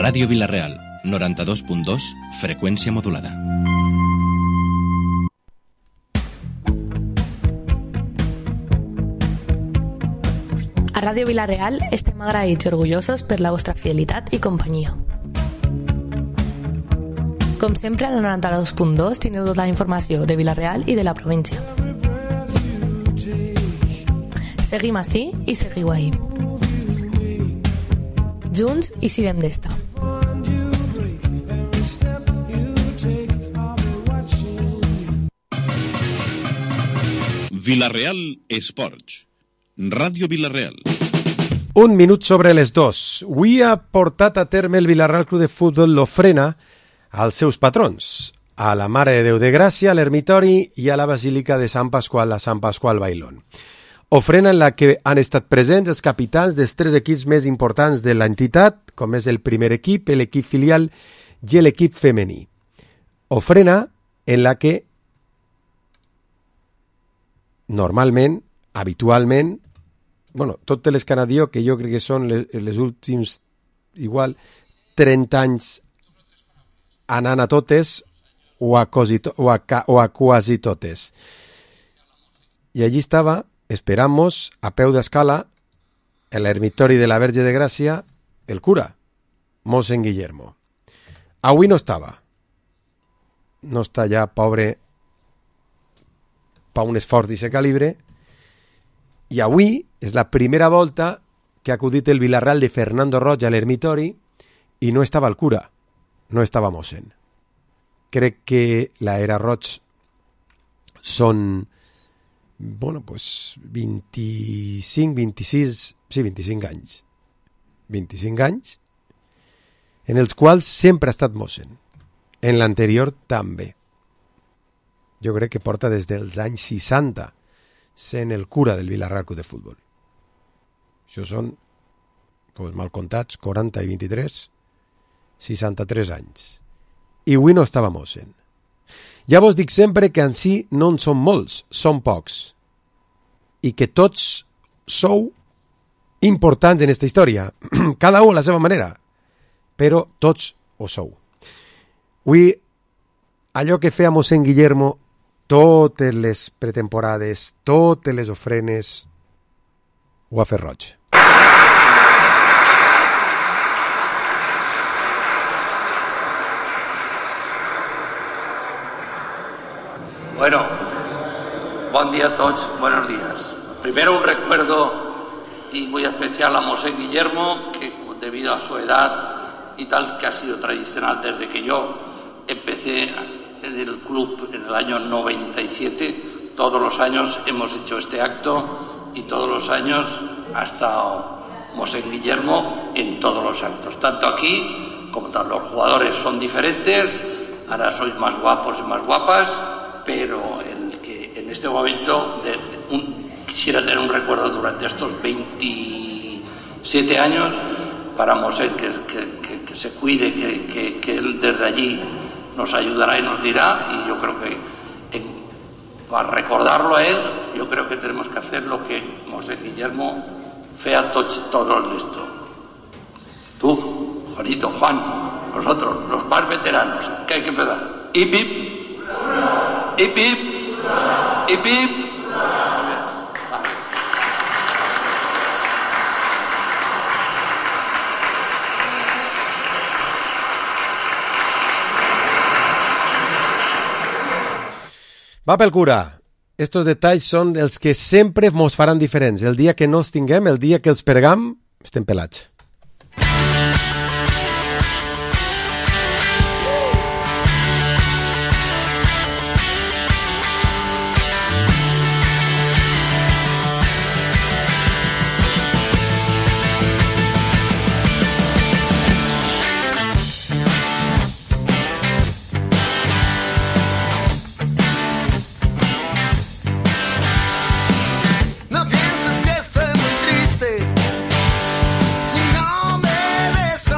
Ràdio Vila-real, 92.2, freqüència modulada. A Ràdio Vila-real estem agraïts i orgullosos per la vostra fidelitat i companyia. Com sempre, a la 92.2 tindreu tota la informació de Vila-real i de la província. Seguim ací i seguiu ahí. Junts i sirem d'esta. Vila-real Esports. Ràdio Vila-real. Un minut sobre les 2. Avui ha portat a terme el Vila-real Club de Futbol l'ofrena als seus patrons, a la Mare de Déu de Gràcia, a l'Ermitori i a la Basílica de Sant Pasqual, a Sant Pasqual Bailón. Ofrena en la que han estat presents els capitans dels 3 equips més importants de l'entitat, com és el primer equip, l'equip filial i l'equip femení. Ofrena en la que normalment, habitualment, totes les canadió, que jo crec que són les últims, igual, 30 anys anant a totes o a quasi totes. I allí estava, esperamos, a peu d'escala, en l'ermitori de la Verge de Gràcia, el cura, Mossèn Guillermo. Avui no estava. No està ja, pobre, per un esforç d'aquest calibre, i avui és la primera volta que ha acudit el Vila-real de Fernando Roig a l'ermitori i no estava el cura, no estava mossèn. Crec que l'era Roig són 25 anys. 25 anys en els quals sempre ha estat mossèn. En l'anterior també. Jo crec que porta des dels anys 60 sent el cura del Vila-real Club de Futbol. Això són, mal comptats, 40 i 23, 63 anys. I avui no estava mossèn. Ja vos dic sempre que en si no en són molts, són pocs. I que tots sou importants en aquesta història. Cada un a la seva manera. Però tots ho sou. Avui, allò que feia mossèn Guillermo totes les pretemporades, totes les ofrenes, ho ha fet Roig. Bueno, buen día a todos, buenos días. Primero un recuerdo y muy especial a Mossèn Guillermo, que debido a su edad y tal, que ha sido tradicional desde que yo empecé en el club en el año 97, todos los años hemos hecho este acto y todos los años ha estado Mossèn Guillermo en todos los actos, tanto aquí como tal. Los jugadores son diferentes, ahora sois más guapos y más guapas, pero el que en este momento quisiera tener un recuerdo durante estos 27 años para Mossèn, que se cuide, que él desde allí nos ayudará y nos dirá, y yo creo que para recordarlo a él, yo creo que tenemos que hacer lo que Mossèn Guillermo fea todo listo. Tú, Juanito, Juan, nosotros, los más veteranos, que hay que empezar. ¡Hip, hip! ¡Hip, hip! ¡Hip, hip! Va pel cura. Estos detalls són els que sempre mos faran diferents. El dia que no els tinguem, el dia que els perdem, estem pelats. No pienses que estoy muy triste, si no me ves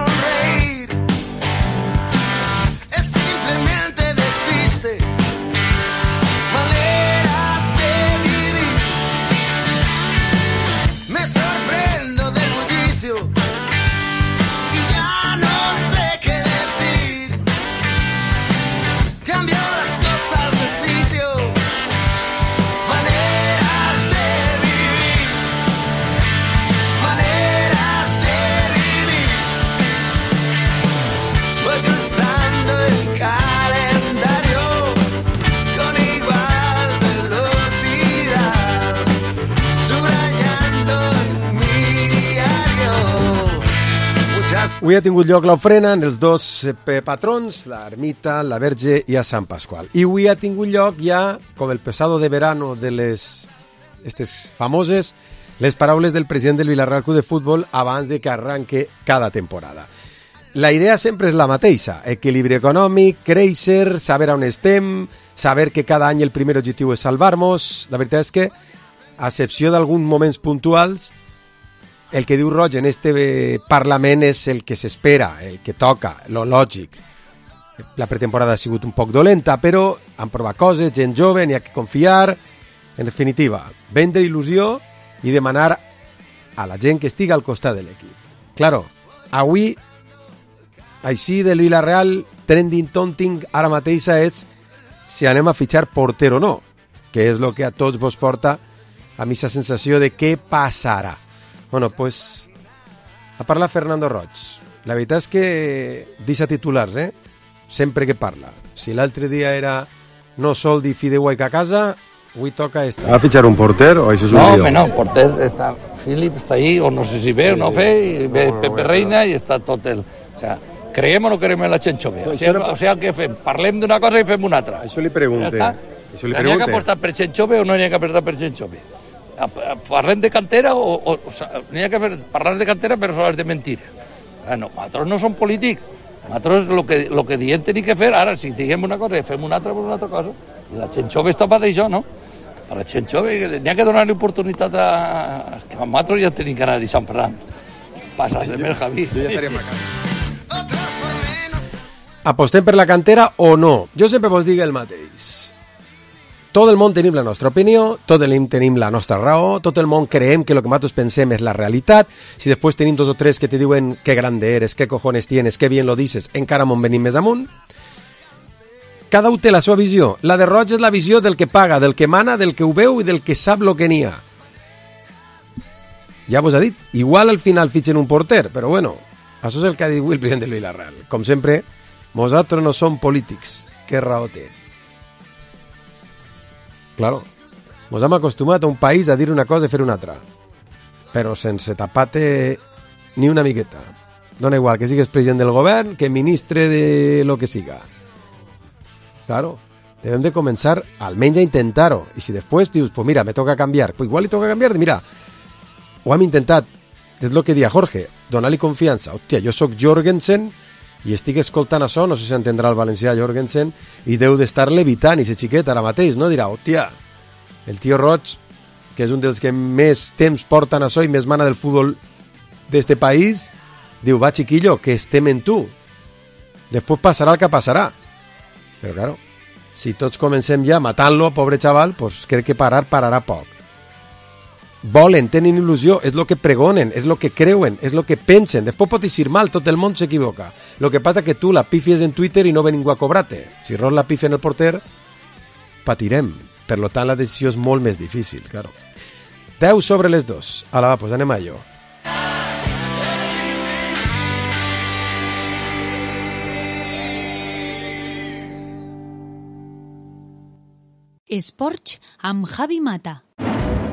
Avui ha tingut lloc l'ofrena en els dos patrons, l'ermita, la Verge i a Sant Pasqual. I avui ha tingut lloc ja, com el pesado de verano de estes famoses, les paraules del president del Villarreal Club de Futbol abans de que arranque cada temporada. La idea sempre és la mateixa, equilibri econòmic, créixer, saber on estem, saber que cada any el primer objectiu és salvar-nos. La veritat és que, a excepció d'alguns moments puntuals, el que diu Roig en este Parlament és el que s'espera, el que toca, lo lògic. La pretemporada ha sigut un poc dolenta, però han provat coses, gent jove, n'hi ha que confiar. En definitiva, vendre il·lusió i demanar a la gent que estigui al costat de l'equip. Claro, avui, així de Villarreal, trending topic ara mateixa és si anem a fitxar porter o no, que és el que a tots vos porta a mi la sensació de què passarà. Bueno, pues, a parlar Fernando Roig. La veritat és que deixa titulars, sempre que parla. Si l'altre dia era no sol di fideuà a casa, avui toca esta. ¿Va a fichar un porter o això és un lío? No, porter està... Philip està ahí, o no sé si ve o no ve, i ve Pepe Reina i està tot el... O sea, creiem o no creiem en la gent jove? O sigui, què fem? Parlem d'una cosa i fem una altra. Això li pregunte. N'hi ha que apostar per gent jove o no n'hi ha que apostar per gent jove? Parlem de cantera o n'hi ha que parlar de cantera però sols de mentira. No, nosaltres no som polítics. Nosaltres el que diem tenim que fer, ara si diguem una cosa i fem una altra cosa, la gent jove està per això, no? A la gent jove n'hi ha que donar-li oportunitat a... que nosaltres ja tenim que anar a Sant Ferran. Passas de mer, Javi. Jo ja estaríem a casa. Apostem per la cantera o no? Jo sempre vos dic el mateix. Tot el món tenim la nostra opinió, tot el món tenim la nostra raó, tot el món creem que el que nosaltres pensem és la realitat. Si després tenim dos o tres que te diuen que grande eres, que cojones tienes, que bien lo dices, encara m'on venim més amunt. Cada un té la seva visió. La de Roig és la visió del que paga, del que mana, del que ho veu i del que sap lo que n'hi ha. Ja vos ha dit, igual al final fitxen un porter, però bueno, això és el que ha dit el president del Villarreal. Com sempre, nosaltres no som polítics. Què raó té? Claro, ens hem acostumat a un país a dir una cosa i fer una altra, però sense tapar-te ni una miqueta. Dona igual que sigues president del govern, que ministre de lo que siga. Claro, devem de començar almenys a intentar-ho. I si després dius, pues mira, me toca canviar, pues igual li toca canviar, mira, ho hem intentat, és el que dia Jorge, donar-li confiança. Hòstia, jo sóc Jorgensen i estic escoltant això, no sé si entendrà el valencià Jorgensen, i deu d'estar levitant i ser xiquet ara mateix, no? Dirà, hòstia, el tio Roig, que és un dels que més temps porten això i més mana del futbol d'este país, diu, va chiquillo, que estem en tu. Després passarà el que passarà. Però claro, si tots comencem ja matant-lo, pobre xaval, pues crec que pararà poc. Volen, tenen il·lusió, és el que pregonen, és el que creuen, és el que pensen. Després pot eixir mal, tot el món s'equivoca. El que passa que tu la pifies en Twitter i no ve ningú a cobrar-te. Si Roig la pifia en el porter, patirem. Per tant, la decisió és molt més difícil, claro. 10 sobre les 2. Ala, va, pues anem a allò. Esports amb Javi Mata.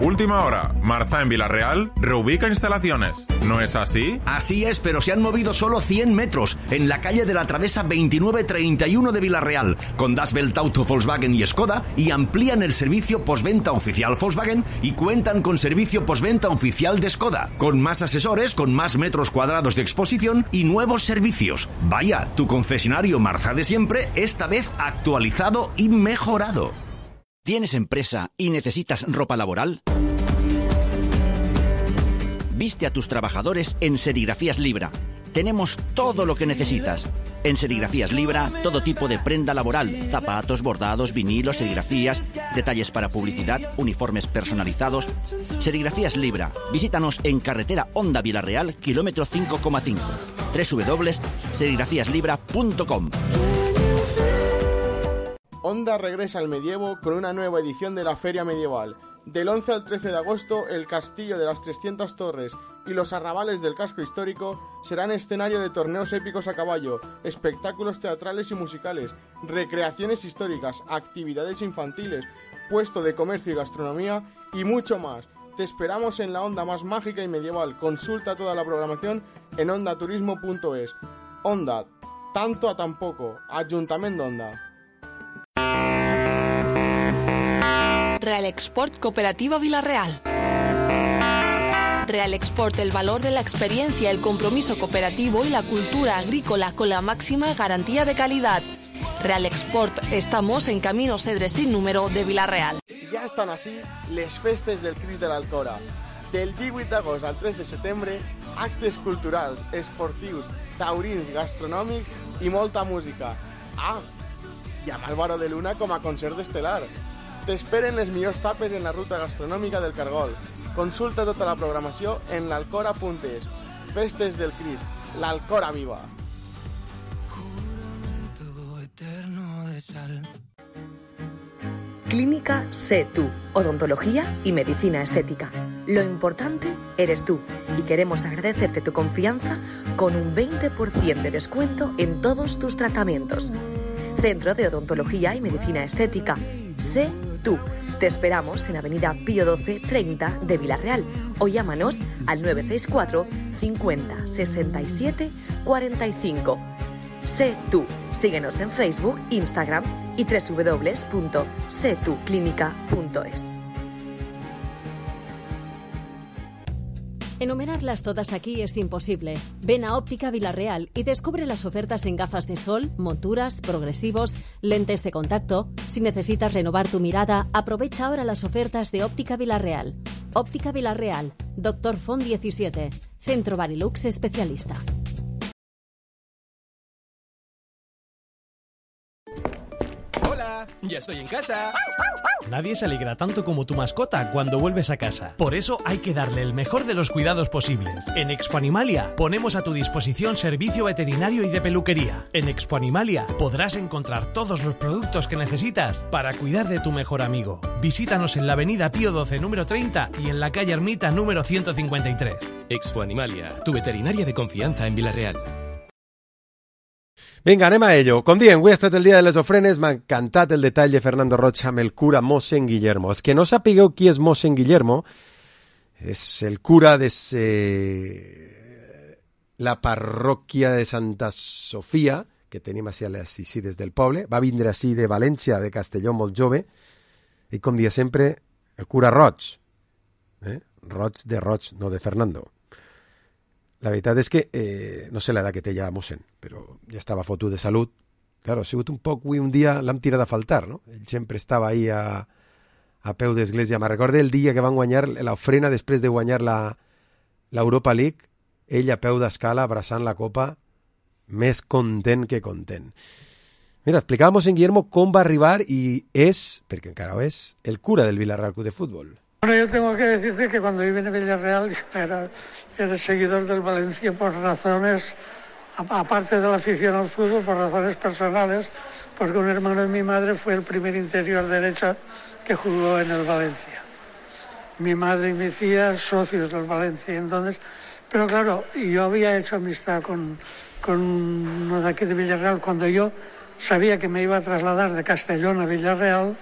Última hora, Marza en Villarreal reubica instalaciones. ¿No es así? Así es, pero se han movido solo 100 metros en la calle de la Travesa 2931 de Villarreal, con Das Welt Auto, Volkswagen y Skoda, y amplían el servicio postventa oficial Volkswagen y cuentan con servicio postventa oficial de Skoda, con más asesores, con más metros cuadrados de exposición y nuevos servicios. Vaya, tu concesionario Marza de siempre, esta vez actualizado y mejorado. ¿Tienes empresa y necesitas ropa laboral? Viste a tus trabajadores en Serigrafías Libra. Tenemos todo lo que necesitas. En Serigrafías Libra, todo tipo de prenda laboral, zapatos, bordados, vinilos, serigrafías, detalles para publicidad, uniformes personalizados. Serigrafías Libra. Visítanos en carretera Honda Villarreal, kilómetro 5,5. www.serigrafíaslibra.com. Honda regresa al medievo con una nueva edición de la Feria Medieval. Del 11 al 13 de agosto, el Castillo de las 300 Torres y los arrabales del casco histórico serán escenario de torneos épicos a caballo, espectáculos teatrales y musicales, recreaciones históricas, actividades infantiles, puesto de comercio y gastronomía y mucho más. Te esperamos en la Onda más mágica y medieval. Consulta toda la programación en ondaturismo.es. Onda, tanto a tan poco. Ayuntamiento Onda. Real Export Cooperativa Vila-real. Real Export, el valor de la experiencia, el compromiso cooperativo y la cultura agrícola con la máxima garantía de calidad. Real Export, estamos en Camino Cedre sin número de Vila-real. Ja estan així les festes del Crist de l'Alcora. Del 18 d'agost al 3 de setembre, actes culturals, esportius, taurins, gastronòmics i molta música. Ah, i amb Álvaro de Luna com a concert estel·lar. T'esperen les millors tapes en la ruta gastronòmica del Cargol. Consulta tota la programació en l'alcora.es. Festes del Crist, l'Alcora viva! Clínica Sé Tú, odontología y medicina estética. Lo importante eres tú y queremos agradecerte tu confianza con un 20% de descuento en todos tus tratamientos. Centro de Odontología y Medicina Estética. Sé Tú. Te esperamos en Avenida Pío XII 30 de Vila-real o llámanos al 964 50 67 45. Sé Tú. Síguenos en Facebook, Instagram y www.setuclinica.es. Enumerarlas todas aquí es imposible. Ven a Óptica Vila-real y descubre las ofertas en gafas de sol, monturas, progresivos, lentes de contacto. Si necesitas renovar tu mirada, aprovecha ahora las ofertas de Óptica Vila-real. Óptica Vila-real, Dr. Font 17, Centro Barilux Especialista. ¡Hola! ¡Ya estoy en casa! Nadie se alegra tanto como tu mascota cuando vuelves a casa. Por eso hay que darle el mejor de los cuidados posibles. En Expo Animalia ponemos a tu disposición servicio veterinario y de peluquería. En Expo Animalia podrás encontrar todos los productos que necesitas para cuidar de tu mejor amigo. Visítanos en la avenida Pío XII número 30 y en la calle Ermita número 153. Expo Animalia, tu veterinaria de confianza en Vila-real. Vinga, anem a ello. Com diem, avui ha estat el dia de les ofrenes. M'ha encantat el detall de Fernando Rocha amb el cura mossèn Guillermo. Els que no sapigueu qui és mossèn Guillermo, és el cura de la parròquia de Santa Sofia, que tenim així a les Isides del poble. Va vindre així de València, de Castelló, molt jove. I com dia sempre, el cura Roig. Roig de Roig, no de Fernando. La veritat és que no sé l'edat que té ja mossèn, però ja estava fotut de salut. Claro, ha sigut un poc, avui un dia l'hem tirat a faltar, no? Ell sempre estava ahí a peu d'església. Me recorda el dia que van guanyar l'ofrena després de guanyar l'Europa League, ell a peu d'escala abraçant la copa, més content que content. Mira, explicàvem en Guillermo com va arribar i és, perquè encara ho és, el cura del Vila-real Club de Fútbol. Bueno, yo tengo que decirte que cuando viví en Villarreal era seguidor del Valencia por razones, aparte de la afición al fútbol, por razones personales, porque un hermano de mi madre fue el primer interior derecho que jugó en el Valencia. Mi madre y mi tía, socios del Valencia, entonces, pero claro, yo había hecho amistad con uno de aquí de Villarreal cuando yo sabía que me iba a trasladar de Castellón a Villarreal.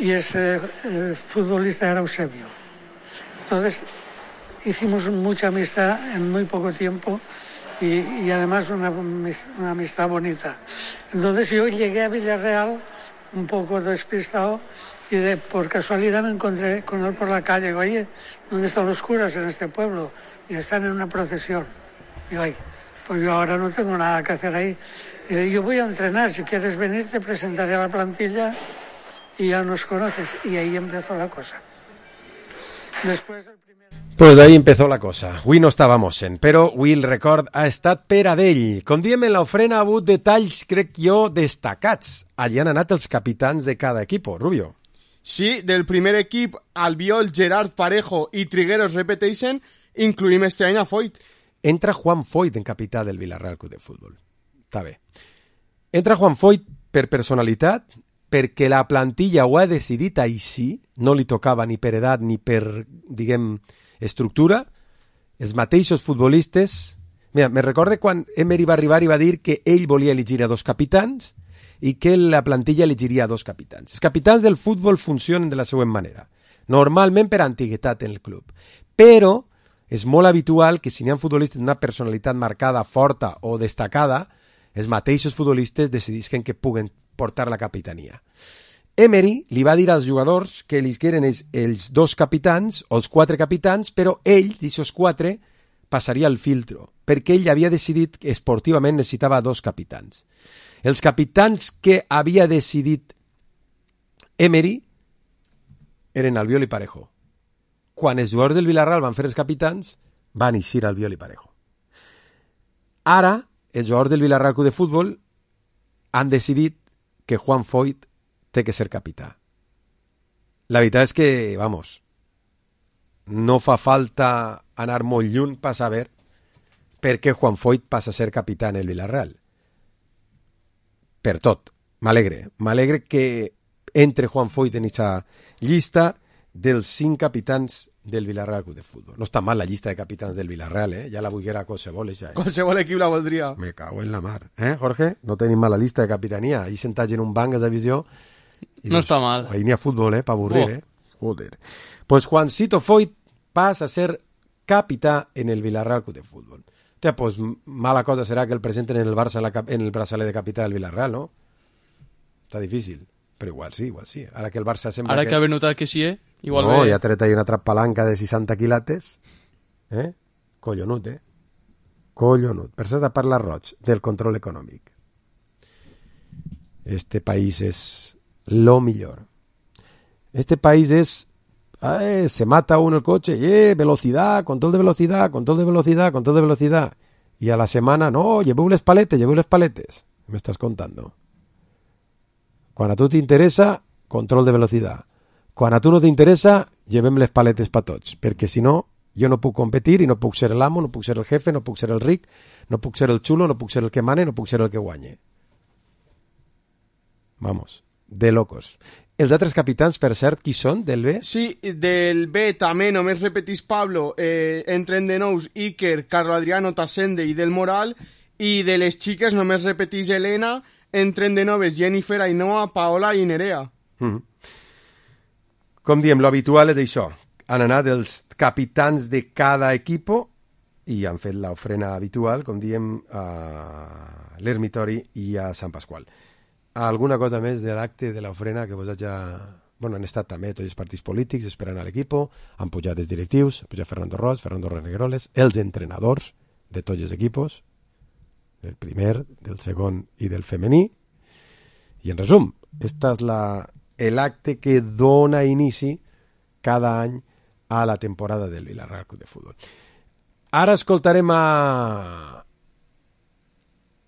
Y ese futbolista era Eusebio. Entonces hicimos mucha amistad en muy poco tiempo y además una amistad bonita. Entonces yo llegué a Villarreal un poco despistado y por casualidad me encontré con él por la calle. Digo, oye, ¿dónde están los curas en este pueblo? Y están en una procesión. Digo, ay, pues yo ahora no tengo nada que hacer ahí. Y digo, yo voy a entrenar, si quieres venir te presentaré a la plantilla y ya nos conoces. Y ahí empezó la cosa. Después Pues ahí empezó la cosa. Avui no estava mossèn, però avui el record ha estat per a d'ell. Com diem, en l'ofrena ha hagut detalls, crec jo, destacats. Allí han anat els capitans de cada equip, Rubio. Sí, del primer equip, Albiol, Gerard Parejo i Trigueros Repetition, incluïm este any a Foyt. Entra Juan Foyt en capità del Vila-real Club de Futbol. Està bé. Entra Juan Foyt per personalitat, perquè la plantilla ho ha decidit així, no li tocava ni per edat ni per, diguem, estructura. Els mateixos futbolistes... Mira, me recorde quan Emery va arribar i va dir que ell volia elegir a 2 capitans i que la plantilla elegiria a 2 capitans. Els capitans del futbol funcionen de la següent manera. normalment per antiguitat en el club. Però és molt habitual que si n'hi ha futbolistes d'una personalitat marcada, forta o destacada, els mateixos futbolistes decidisquen que puguen portar la capitania. Emery li va dir als jugadors que ells eren els 2 capitans o els 4 capitans, però ell, d'aquests 4, passaria el filtro, perquè ell havia decidit que esportivament necessitava 2 capitans. Els capitans que havia decidit Emery eren Albiol i Parejo. Quan els jugadors del Villarreal van fer els capitans, van eixir Albiol i Parejo. Ara, els jugadors del Villarreal Club de Futbol han decidit que Juan Foyth té que ser capità. La veritat és que, vamos, no fa falta anar molt lluny per saber per què Juan Foyth passa a ser capità en el Villarreal. Per tot. M'alegre que entre Juan Foyth en aquesta llista dels 5 capitans del Villarreal Club de Futbol. No està mal la llista de capitans del Villarreal, ja la volguera qualsevol, ja. Qualsevol equip la voldria. Me cago en la mar. Jorge? No tenim mala llista de capitania. Ahí sentats en un banc de divisió. No està mal. Ahí n'hi ha futbol, pa avorrir, Joder. Pues Juancito Foyth passa a ser capità en el Villarreal Club de Futbol. Pues mala cosa serà que el presenten en el Barça en el braçalet de capità del Villarreal, no? Està difícil. Però igual sí. Ara que el Barça sembla Ara que ha notat que sí, igual no, ja ha tret ahí una trappalanca de 60 quilates. Collonut, Collonut. Per cert, a parlar roig del control econòmic. Este país és lo millor. Este país és se mata uno el coche, velocidad, control de velocidad, control de velocidad, control de velocidad. Y a la semana, no, lleveu les paletes. Me estás contando. Quan a tu t'interessa, control de velocitat. Quan a tu no t'interessa, llevem les paletes per tots, perquè si no, jo no puc competir i no puc ser l'amo, no puc ser el jefe, no puc ser el ric, no puc ser el xulo, no puc ser el que mane, no puc ser el que guanye. Vamos, de locos. Els altres capitans, per cert, qui són, del B? Sí, del B també, només repetís Pablo, entren de nous Iker, Carlo Adriano, Tasende i Del Moral, i de les xiques només repetís Elena, entren de noves Jennifer, Ainhoa, Paola i Nerea. Com diem, lo habitual és això. Han anat els capitans de cada equipo i han fet l'ofrena habitual, com diem, a l'Ermitori i a Sant Pasqual. Alguna cosa més de l'acte de l'ofrena que vos haja... Bueno, han estat també tots els partits polítics esperant a l'equipo, han pujat els directius, ha pujat Fernando Roig, Fernando Renegroles, els entrenadors de tots els equipos, del primer, del segon i del femení. I en resum, esta és l'acte que dona inici cada any a la temporada del Villarreal Club de Futbol. Ara escoltarem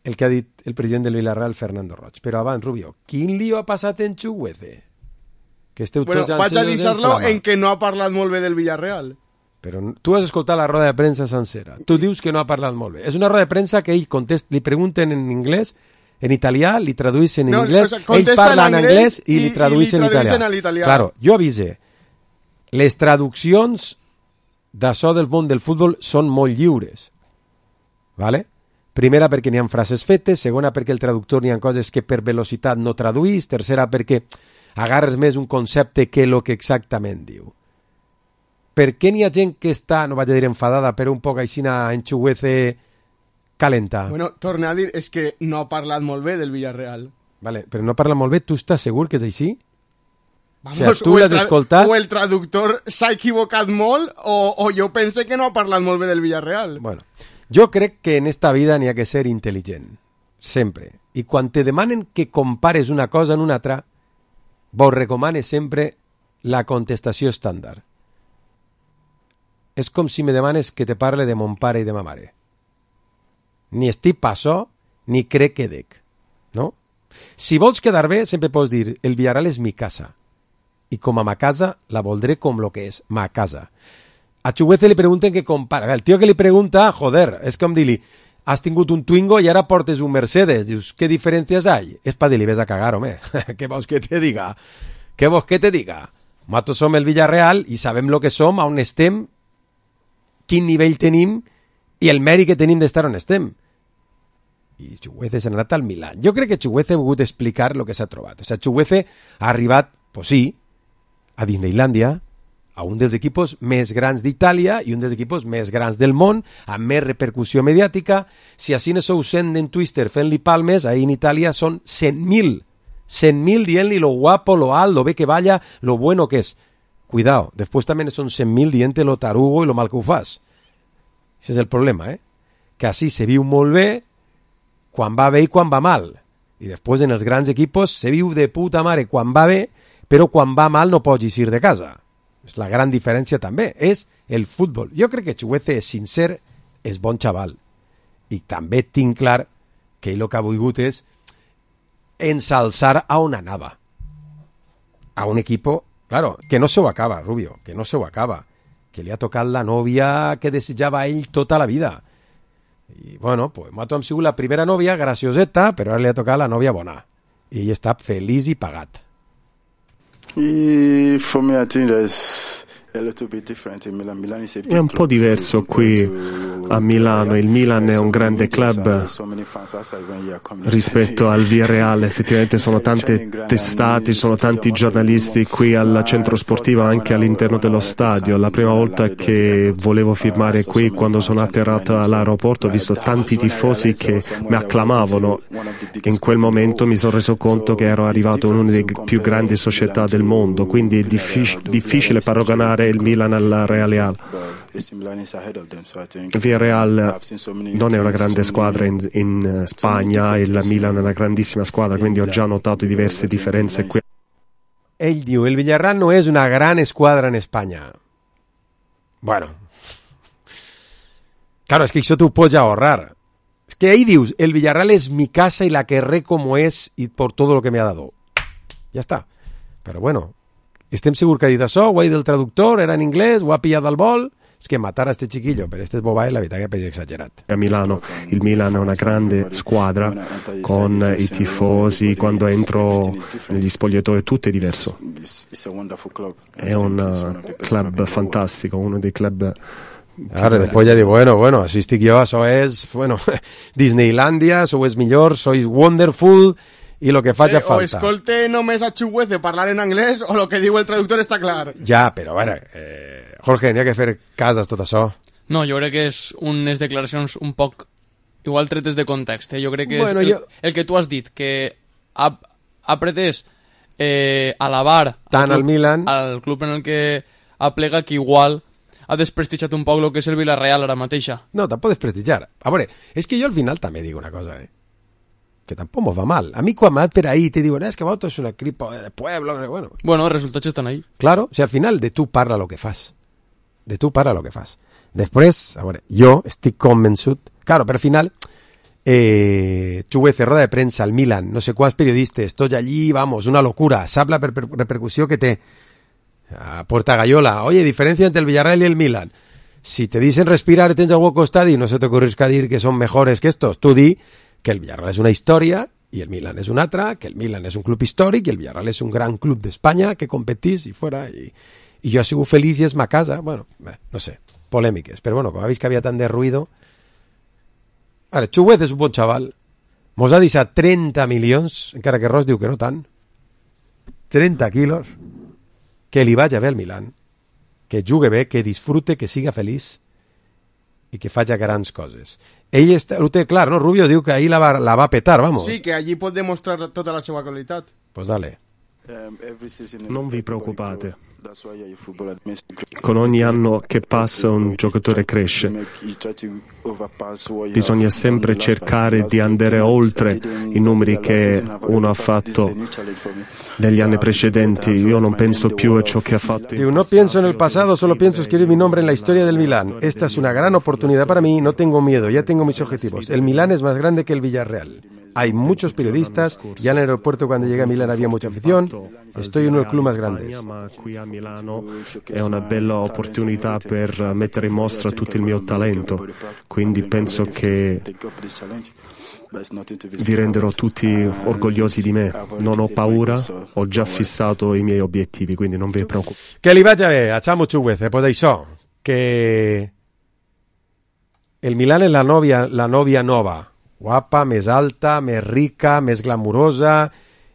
el que ha dit el president del Villarreal, Fernando Roig. Però abans, Rubio, quin lío ha passat en Chuguece? Que esteu bueno, tots vaig a deixar-lo en que no ha parlat molt bé del Villarreal. Però tu has escoltat la roda de premsa sencera. Tu dius que no ha parlat molt bé. És una roda de premsa que ell li pregunten en anglès, en italià, li traduïssin en anglès, ell parla en anglès i li traduïssin en italià. Claro, jo avise, les traduccions d'això del món del futbol són molt lliures. ¿Vale? Primera, perquè n'hi ha frases fetes, segona, perquè el traductor n'hi ha coses que per velocitat no traduís, tercera, perquè agarres més un concepte que el que exactament diu. Per què n'hi ha gent que està, no vaig a dir enfadada, però un poc aixina en Chuguece calenta? Bueno, torne a dir, és que no ha parlat molt bé del Villarreal. Vale, però no parla molt bé, tu estàs segur que és així? Vamos, o sigui, tu l'has escoltat? O el traductor s'ha equivocat molt, o jo pense que no ha parlat molt bé del Villarreal. Bueno, jo crec que en esta vida n'hi ha que ser intel·ligent, sempre. I quan te demanen que compares una cosa en una altra, vos recomane sempre la contestació estàndard. És com si me demanes que te parle de mon pare i de ma mare. Ni estic pa això, ni crec que dec. No? Si vols quedar bé, sempre pots dir el Villarreal és mi casa. I com a ma casa, la voldré com lo que és, ma casa. A Chuguece li pregunten que compara. El tio que li pregunta, joder, és com dir-li, has tingut un Twingo i ara portes un Mercedes. Dius, ¿qué diferencias hay? És pa dir-li, ves a cagar, home. Què vols que te diga? Què vols que te diga? Nosaltres som el Villarreal i sabem lo que som, on estem, quin nivell tenim i el mèrit que tenim d'estar on estem. I Chuguece s'ha anat al Milan. Jo crec que Chuguece ha volgut explicar el que s'ha trobat. O sigui, Chuguece ha arribat, pues sí, a Disneylandia, a un dels equipos més grans d'Itàlia i un dels equipos més grans del món, amb més repercussió mediàtica. Si així no sou 100 en Twitter fent-li palmes, ahí en Itàlia són 100.000. 100.000 dient-li lo guapo, lo alt, lo bé que balla, lo bueno que és. Cuidado, després també són 100.000 dient-te lo tarugo i lo mal que ho fas. Això és el problema, que així se viu molt bé quan va bé i quan va mal. I després en els grans equipos se viu de puta mare quan va bé, però quan va mal no pots eixir de casa. És la gran diferència també, és el futbol. Jo crec que Chukwueze és sincer, és bon xaval. I també tinc clar que ell el que ha volgut és ensalzar a on anava. A un equipo, claro, que no se ho acaba, Rubio, que no se ho acaba. Que li ha tocat la nòvia que desitjava ell tota la vida. I bueno, pues Mato ha sigut la primera nòvia, gracioseta, però ara li ha tocat la nòvia bona. I ell està feliç i pagat. For me, I think there's a little bit different in Milan. Milan is a big È un po' diverso qui a Milano. Il Milan è un grande club rispetto al Villarreal. Effettivamente sono tante testate, sono tanti giornalisti qui al centro sportivo, anche all'interno dello stadio. La prima volta che volevo firmare qui, quando sono atterrato all'aeroporto, ho visto tanti tifosi che mi acclamavano. In quel momento mi sono reso conto che ero arrivato in una delle più grandi società del mondo, quindi è difficile paragonare il Milan al Real. Villarreal non è una grande squadra in Spagna e la Milan è una grandissima squadra, quindi ho già notato diverse differenze qui. Ell diu, el Villarreal no és una gran esquadra en Espanya. Bueno. Claro, es que això t'ho pots ahorrar. Es que ahí dius, el Villarreal es mi casa y la querré como es y por todo lo que me ha dado. Ja està. Però bueno, estem segurs que ha dit això, ho ha dit el traductor, era en anglès, ho ha pillat al vol. Es que matar a este chiquillo per este bobae la veritat che è exagerat. A Milano il Milan è una grande squadra con i tifosi, quando entro negli spogliatoi tutto è diverso. È un club fantastico, uno dei club. Ara, després ja diu, bueno, així estic jo, això és, Disneylandia, això és millor, sois wonderful, i lo que faci falta. O escolte només a Chukwueze parlar en anglès, o lo que diu el traductor està clar. Ja, però bueno, Jorge, n'hi ha que fer cases tot això. No, jo crec que és unes declaracions un poc igual tretes de context. Jo crec que bueno, és el que tu has dit, que ha pretès alabar tant al Milan, al club en el que aplega, que igual ha desprestigiat un poc el que és el Villarreal ara mateixa. No, tampoc desprestigiar. A veure, és que jo al final també dic una cosa, que tampoc mos va mal. A mi quan m'ha per ahí te diuen, que Bauto és un equip de pueblo, bueno, els resultats estan ahí. Claro, o sea, al final de tu parla lo que fas. De tu parla lo que fas. Després, a veure, jo estic convençut, claro, però al final Chukwueze, roda de premsa, al Milan, no sé quants periodistes, tots allí, vamos, una locura, sap la repercussió que té. A Puerta Gallola, oye, diferencia entre el Villarreal y el Milan. Si te dicen respirar, tens algú al costat y no se te ocurrisca dir que son mejores que estos, tú di que el Villarreal es una historia y el Milan es una altra, que el Milan es un club històric y el Villarreal es un gran club d'Espanya que competís y fuera, y jo he sigut feliç i és ma casa. Bueno, no sé, polèmiques, però bueno, com ha vist que havia tant de ruïdo. Ara, Chukwueze és un bon xaval, mos ha deixat 30 milions, encara que Ross diu que no tant, 30 quilos, que li vaig a ver al Milan, que jugui bé, que disfrute, que siga feliç i que faci grans coses. Ell ho té clar, no? Rubio diu que ahir la va petar, vamos. Sí, que allí pot demostrar tota la seva qualitat. Pues dale. Non vi preoccupate. Con ogni anno che passa un giocatore cresce. Bisogna sempre cercare di andare oltre i numeri che uno ha fatto negli anni precedenti. Io non penso più a ciò che ha fatto. No pienso en el pasado, solo pienso escribir mi nombre en la historia del Milán. Esta es una gran oportunidad para mí, no tengo miedo, ya tengo mis objetivos. El Milán es más grande que el Villarreal. Hay muchos periodistas, ya en el aeropuerto cuando llegué a Milán había mucha afición, estoy en uno de los clubes más grandes. Ma qui a Milano è una bella opportunità per mettere in mostra tutto il mio talento, quindi penso che vi renderò tutti orgogliosi di me. Non ho paura, ho già fissato i miei obiettivi, quindi non vi preoccupate. Que li vaig a bé, a Samu Chukwueze, pues això, que el Milán és la nòvia nova, guapa, més alta, més rica, més glamurosa,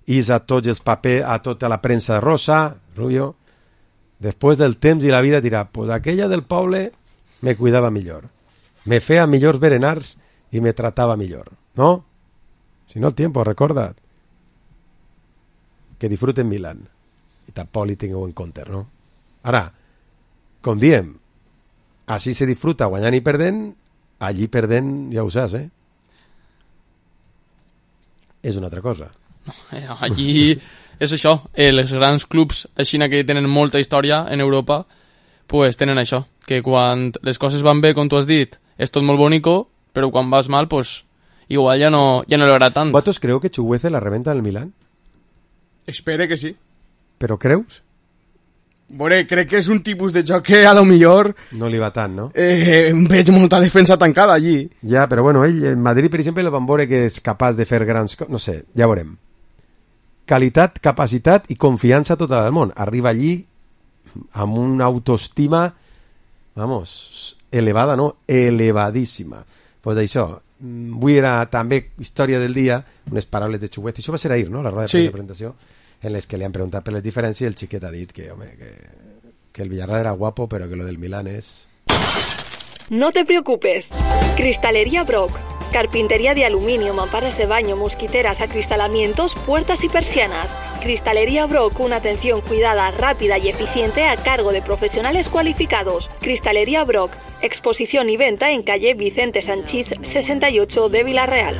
i a tots els papers, a tota la premsa rosa, Rubio, Després del temps i la vida dirà, pues aquella del poble me cuidava millor, me feia millors berenars i me tratava millor, ¿no? Si no el tiempo, recorda't. Que disfruten Milán. I tampoc li tingueu en compte, no? Ara, com diem, així se disfruta guanyant i perdent, allí perdent ja ho saps, És una altra cosa. Allí és això, els grans clubs així que tenen molta història en Europa, pues tenen això, que quan les coses van bé, com tu has dit, és tot molt bonico, però quan vas mal, pues igual ja no le agrada tant. ¿Vosotros creo que Chuguece la reventa en el Milán? Espere que sí. Però creus? Veure, crec que és un tipus de joc que a lo millor... No li va tant, no? Veig molta defensa tancada allí. Ja, però bueno, ell, en Madrid, per exemple, el van veure que és capaç de fer grans... No sé, ja veurem. Qualitat, capacitat i confiança tota del món. Arriba allí amb una autoestima, vamos, elevada, no? Elevadíssima. Pues això, avui era també història del dia, unes paraules de Chuguece. Això va ser ahir, no?, la roda de presentació, en les que li han preguntat per les diferències i el xiquet ha dit que, home, que el Villarreal era guapo, pero que lo del Milán es... No te preocupes. Cristalería Brock. Carpintería de aluminio, mamparas de baño, mosquiteras, acristalamientos, puertas y persianas. Cristalería Brock, una atención cuidada, rápida y eficiente a cargo de profesionales cualificados. Cristalería Brock. Exposición y venta en calle Vicente Sanchís 68 de Villarreal.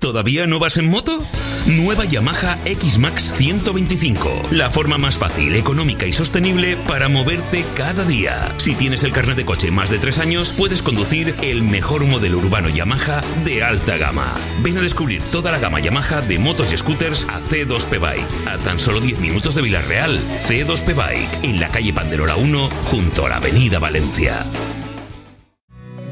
¿Todavía no vas en moto? Nueva Yamaha X-Max 125. La forma más fácil, económica y sostenible para moverte cada día. Si tienes el carnet de coche más de 3 años, puedes conducir el mejor modelo urbano Yamaha de alta gama. Ven a descubrir toda la gama Yamaha de motos y scooters a C2P Bike. A tan solo 10 minutos de Villarreal. C2P Bike, en la calle Panderola 1, junto a la avenida Valencia.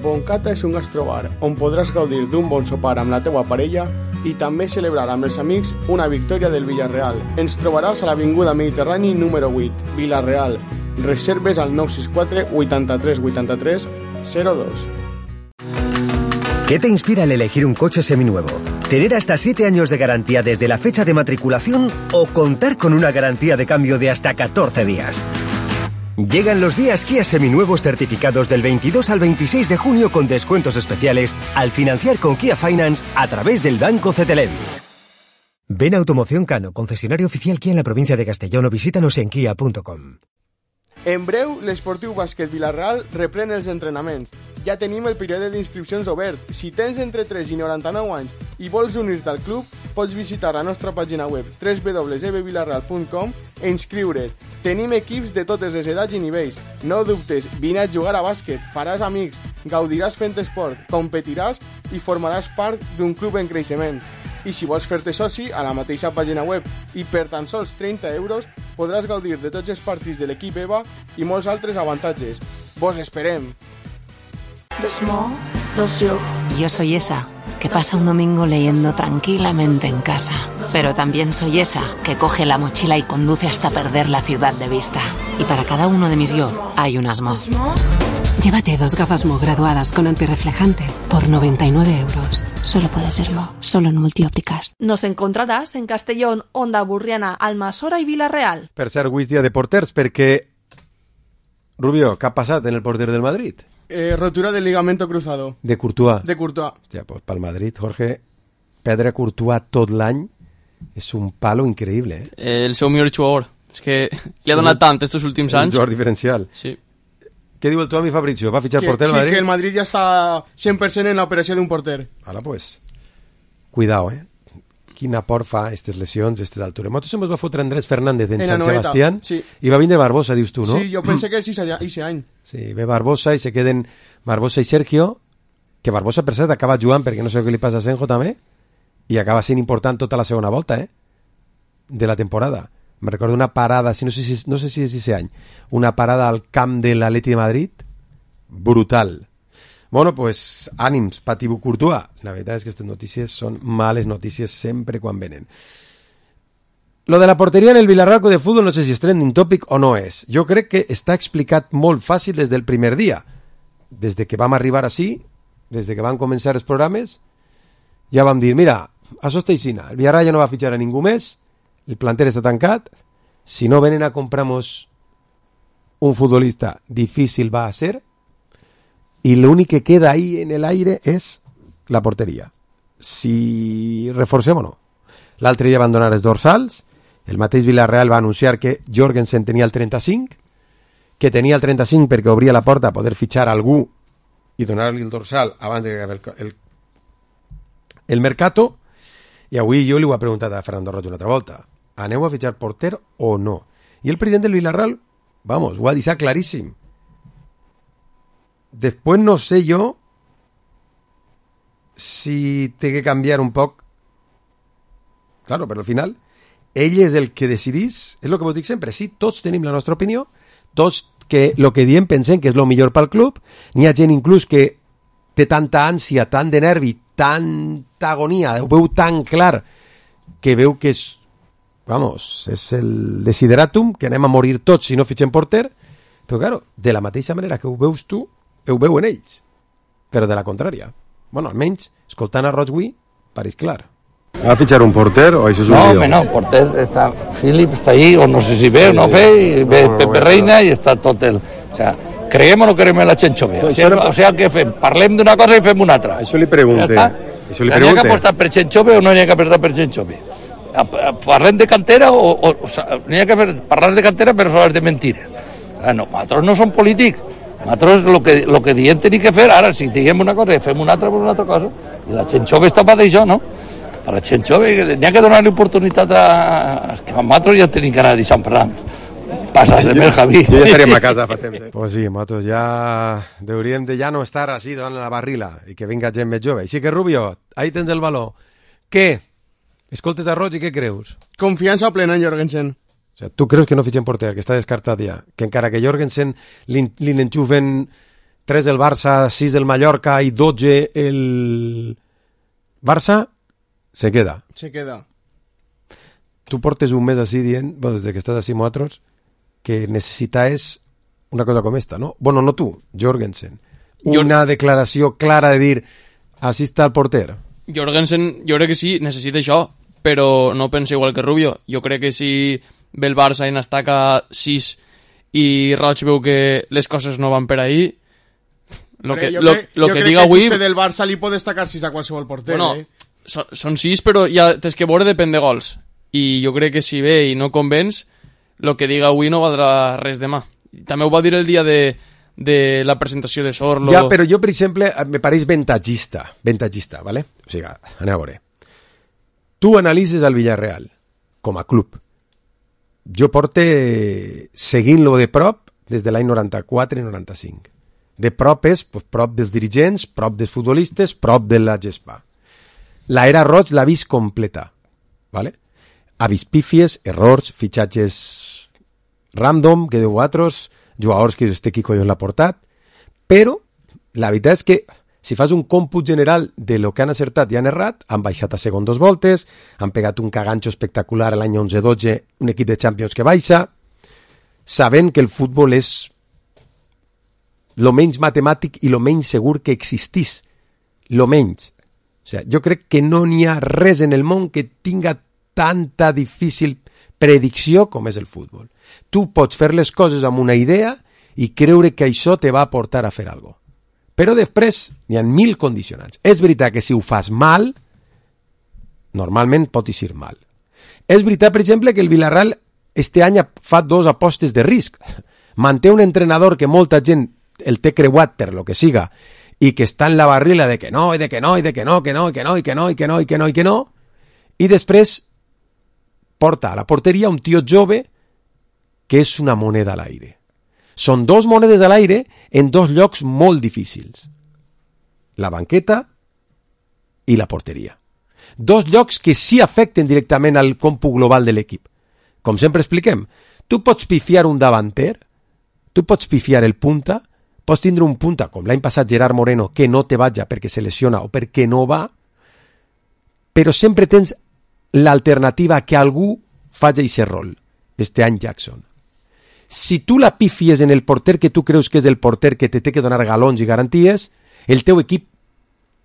Boncata és un gastrobar on podràs gaudir d'un bon sopar amb la teua parella i també celebrar amb els amics una victòria del Villarreal. Ens trobaràs a l'Avinguda Mediterrani número 8, Villarreal. Reserves al 964 83 83 02. ¿Qué te inspira al elegir un coche seminuevo? ¿Tener hasta 7 años de garantía desde la fecha de matriculación o contar con una garantía de cambio de hasta 14 días? Llegan los días Kia seminuevos certificados del 22 al 26 de junio con descuentos especiales al financiar con Kia Finance a través del Banco Cetelem. Ven a Automoción Cano, concesionario oficial Kia en la provincia de Castellón, o visítanos en kia.com. En breu, l'Esportiu Bàsquet Villarreal reprèn els entrenaments. Ja tenim el període d'inscripcions obert. Si tens entre 3 i 99 anys i vols unir-te al club, pots visitar la nostra pàgina web www.villarreal.com e inscriure't. Tenim equips de totes les edats i nivells. No dubtes, vine a jugar a bàsquet, faràs amics, gaudiràs fent esport, competiràs i formaràs part d'un club en creixement. I si vols fer-te soci, a la mateixa pàgina web i per tan sols 30 euros podràs gaudir de tots els partits de l'equip EVA i molts altres avantatges. Vos esperem! Yo soy esa que pasa un domingo leyendo tranquilamente en casa, pero también soy esa que coge la mochila y conduce hasta perder la ciudad de vista. Y para cada uno de mis yo hay un Asmo. Llévate 2 gafas Mo graduadas con antirreflejante por 99 euros. Solo puede serlo, solo en Multiópticas. Nos encontrarás en Castellón, Onda Burriana, Almasora y Villarreal. Per cert, avui és dia de porters, perquè... Rubio, què ha passat en el porter del Madrid? Rotura del ligamento cruzado. De Courtois. De Courtois. Hòstia, pues pel Madrid, Jorge, perdre Courtois tot l'any és un palo increïble, El seu millor jugador. És que li ha donat tant estos últims anys. Un jugador diferencial. Sí. Què diu el Tomi Fabrizio? ¿Va a fichar porter sí, Madrid? Que el Madrid ya está 100% en la operació d'un porter. Hala, pues. Cuidao, Quina por fa aquestes lesions, aquestes altures. Nosaltres ens va fotre Andrés Fernández en Sant Sebastián sí. I va vindre Barbosa, dius tu, no? Sí, jo pensé que és ese any. Sí, ve Barbosa i se queden Barbosa i Sergio, que Barbosa, per cert, acaba jugant perquè no sé què li passa a Senjo també, i acaba sent important tota la segona volta, de la temporada. Me recordo una parada, no sé si és ese any, una parada al camp de l'Atleti de Madrid, brutal. Bueno, pues ànims, Patibú Courtois. La veritat és que aquestes notícies són males notícies sempre quan venen. Lo de la porteria en el Villarreal de fútbol no sé si és trending topic o no és. Jo crec que està explicat molt fàcil des del primer dia. Des de que vam arribar així, des de que van començar els programes, ja vam dir, mira, això està aixina, el Villarreal ja no va fitxar a ningú més, el planter està tancat, si no venen a comprar-nos un futbolista difícil va a ser y lo único que queda ahí en el aire és la porteria. Si reforcem o no. L'altre dia van donar els dorsals, el mateix Villarreal va anunciar que Jorgensen tenia el 35, que tenia el 35 perquè obria la porta a poder fitxar algú i donar-li el dorsal abans de que acabi el mercato, i avui jo li ho he preguntat a Fernando Roig una altra volta. Aneu a fitxar porter o no? I el president del Villarreal, vamos, ho ha deixat claríssim. Después no sé yo si té que canviar un poc. Claro, però al final ell és el que decidís, és el que vos dic sempre, sí, tots tenim la nostra opinió, tots que el que diem pensem que és el millor pel club, n'hi ha gent inclús que té tanta ànsia, tant de nervi, tanta agonia, ho veu tan clar que veu que és, vamos, és el desideratum, que anem a morir tots si no fitxem porter, però claro, de la mateixa manera que ho veus tu, ho veuen ells, però de la contrària. Bueno, almenys, escoltant a Roig avui, pareix clar. ¿Va a fichar un porter o eso es un lío? No, porter está Philip, está ahí, o no sé si ve o no ve, y ve Pepe Reina y está tot el... O sea, creiem o no creiem en la Chenchove? O sea, què fem? Parlem d'una cosa i fem una altra. Això li pregunte. N'hi ha que apostar per Chenchove o no n'hi ha que apostar per Chenchove? Parlem de cantera o sea, n'hi ha que parlar de cantera però sols de mentira. No, nosaltres no som polítics. Nosaltres lo que diem tenim que fer, ara si diguem una cosa i fem una altra per una altra cosa. I la Chenchove està per d'això, no? A la Chenchove n'hi ha que donar-li oportunitat a... que nosaltres ja tenim que anar a Sant Ferran. Passa de el Javi. Jo ja estaríem a casa fa temps. Pues sí, nosaltres ja hauríem de ja no estar així davant la barrila i que vinga gent més jove. Així que, Rubio, ahí tens el valor. Què? Escoltes a Roig i què creus? Confiança plena en Jorgensen. O sea, tu creus que no fitxen porter, que està descartat ja? Que encara que Jorgensen li n'enxufen 3 del Barça, 6 del Mallorca i 12 el Barça, se queda. Se queda. Tu portes un mes així dient, bueno, des que estàs així amb altres, que necessites una cosa com esta, ¿no? Bueno, no tu, Jorgensen. Una declaració clara de dir, així està el porter. Jorgensen, jo crec que sí, necessita això, però no penso igual que Rubio. Jo crec que si ve el Barça i n'estaca 6 i Roig veu que les coses no van per ahí, lo que diga avui... Jo crec que del Barça li pot destacar 6 a qualsevol porter, bueno, són 6, però ja tens que veure depèn de gols. I jo crec que si ve i no convenç, el que diga avui no valdrà res demà. També ho va dir el dia de la presentació de Sorlo. Ja, però jo, per exemple, me pareix ventagista, ¿vale? O sigui, anem a veure. Tu analitzes el Villarreal com a club. Jo porte seguint-lo de prop des de l'any 94 i 95. De prop és prop dels dirigents, prop dels futbolistes, prop de la gespa. L'era Roig l'ha vist completa, ¿vale? Ha vist pífies, errors, fitxatges random, que diu altres, jugadors que este qui collons l'ha portat, però la veritat és que si fas un còmput general de lo que han acertat i han errat, han baixat a segon 2 voltes, han pegat un caganxo espectacular l'any 11-12, un equip de Champions que baixa, sabent que el futbol és lo menys matemàtic i lo menys segur que existís. Lo menys. O sigui, jo crec que no n'hi ha res en el món que tinga tanta difícil predicció com és el futbol. Tu pots fer les coses amb una idea i creure que això te va portar a fer alguna cosa. Però després n'hi ha 1000 condicionants. És veritat que si ho fas mal, normalment pot eixir mal. És veritat, per exemple, que el Villarreal este any fa 2 apostes de risc. Manté un entrenador que molta gent el té creuat per lo que siga i que està en la barrila de que no, i de que no, i de que no, que no, i que no, i que no, i que no, i que no, i que no, i després porta a la porteria un tio jove que és una moneda a l'aire. Són 2 monedes a l'aire en 2 llocs molt difícils. La banqueta i la porteria. 2 llocs que sí afecten directament al còmput global de l'equip. Com sempre expliquem, tu pots pifiar un davanter, tu pots pifiar el punta, pots tindre un punta, com l'any passat Gerard Moreno, que no te vaja perquè se lesiona o perquè no va, però sempre tens l'alternativa que algú faci aquest rol. Este any Jackson. Si tu la pifies en el porter que tu creus que és el porter que te té que donar galons i garanties, el teu equip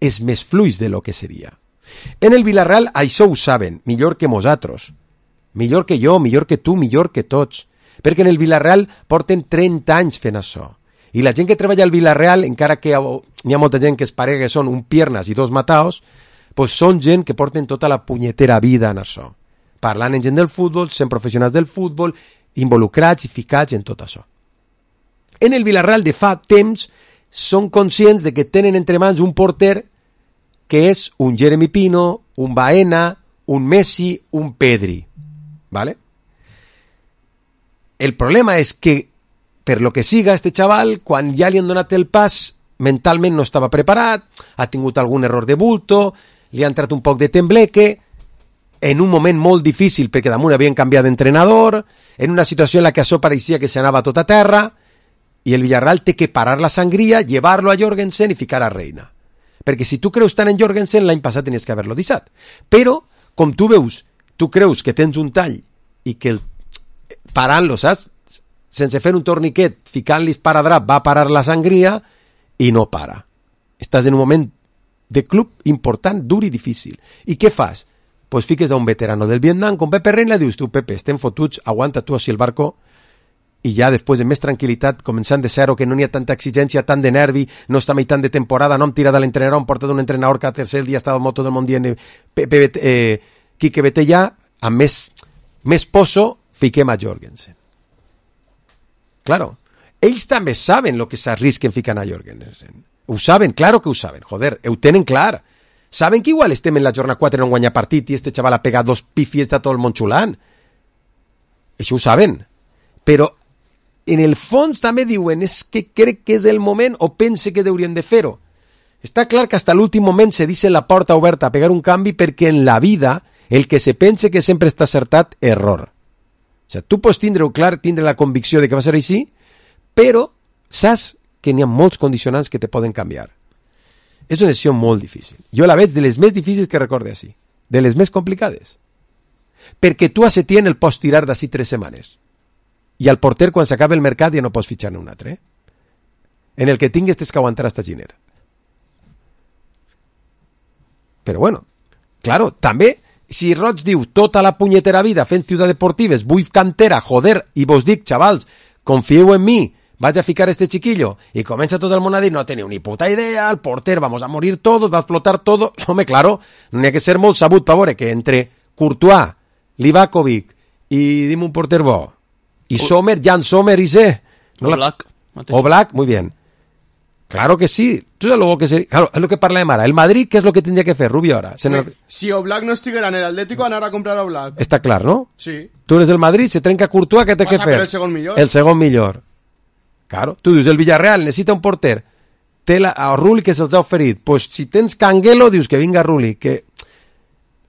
és més fluix de lo que seria. En el Villarreal això ho saben, millor que nosaltres. Millor que jo, millor que tu, millor que tots. Perquè en el Villarreal porten 30 anys fent això. I la gent que treballa al Villarreal, encara que n'hi ha molta gent que es parega que són un piernas i dos mataos, pues són gent que porten tota la punyetera vida en això. Parlant amb gent del futbol, sent professionals del futbol, involucrats i ficats en tot això. En el Villarreal de fa temps són conscients de que tenen entre mans un porter que és un Jeremy Pino, un Baena, un Messi, un Pedri. ¿Vale? El problema és que, per lo que siga, este xaval, quan ja li han donat el pas, mentalment no estava preparat, ha tingut algun error de bulto, li ha entrat un poc de tembleque, en un moment molt difícil, perquè damunt havien canviat d'entrenador, en una situació en la que això pareixia que s'anava tot a terra, i el Villarreal té que parar la sangria, llevar-lo a Jorgensen i ficar a Reina. Perquè si tu creus tant en Jorgensen, l'any passat tenies que haver-lo deixat. Però, com tu veus, tu creus que tens un tall i que parant-lo, saps? Sense fer un torniquet, ficant-li esparadrap, va parar la sangria i no para. Estàs en un moment de club important, dur i difícil. I què fas? Pues fiques a un veterano del Vietnam, com Pepe Reina, dius tu, Pepe, estem fotuts, aguanta tu així el barco, i ja després de més tranquil·litat, començant de zero, que no n'hi ha tanta exigència, tant de nervi, no està mai tant de temporada, no hem tirat de l'entrenador, hem portat un entrenador que a tercer dia estava al moto del món dient Quique vete ja, amb més poso, fiquem a Jorgensen. Claro, ells també saben lo que s'arrisquen ficant a Jorgensen. Ho saben, claro que ho saben, joder, ho tenen clar. Saben que igual estem en la jornada 4 en un guanyar partit i este xaval ha pegat 2 pifies de tot el món xulant. Això ho saben. Però en el fons també diuen és que crec que és el moment o pense que haurien de fer-ho. Està clar que hasta l'últim moment se deixa la porta oberta a pegar un canvi perquè en la vida el que se pense que sempre està acertat, error. O sigui, tu pots tindre-ho clar, tindre la convicció de que va ser així, però saps que n'hi ha molts condicionants que te poden canviar. És una decisió molt difícil. Jo la veig de les més difícils que recorde així, de les més complicades. Perquè tu a Setién el pots tirar d'ací 3 setmanes. I al porter, quan s'acaba el mercat, ja no pots fitxar-ne un altre. En el que tingues tens que aguantar hasta gener. Però bueno, claro, també, si Roig diu tota la punyetera vida fent Ciutat Deportives, vull cantera, joder, i vos dic, xavals, confieu en mi, vaig a ficar este chiquillo, i comença tot el món a dir, no teniu ni puta idea, el porter, vamos a morir todos, va a explotar todo. Home, claro, no n'hi ha que ser molt sabut per veure que entre Courtois, Livakovic i dim un porter bo, y Sommer, Jan Sommer y sé. ¿No? Oblak. Oblak, muy bien. Claro que sí. Tú sabes lo que sería. Claro, es lo que parla de Mara. El Madrid, ¿qué es lo que tendría que hacer, Rubio, ahora? Si Oblak no estuviera en el Atlético, van a comprar a Oblak. Está claro, ¿no? Sí. Tú eres del Madrid, se trenca Courtois, ¿qué te que hacer? El segon millor. El segon millor. Claro. Tú dius, el Villarreal necessita un porter. Té a Rulli que se'ls ha oferit. Pues si tens Canguelo, dius que vinga Rulli, que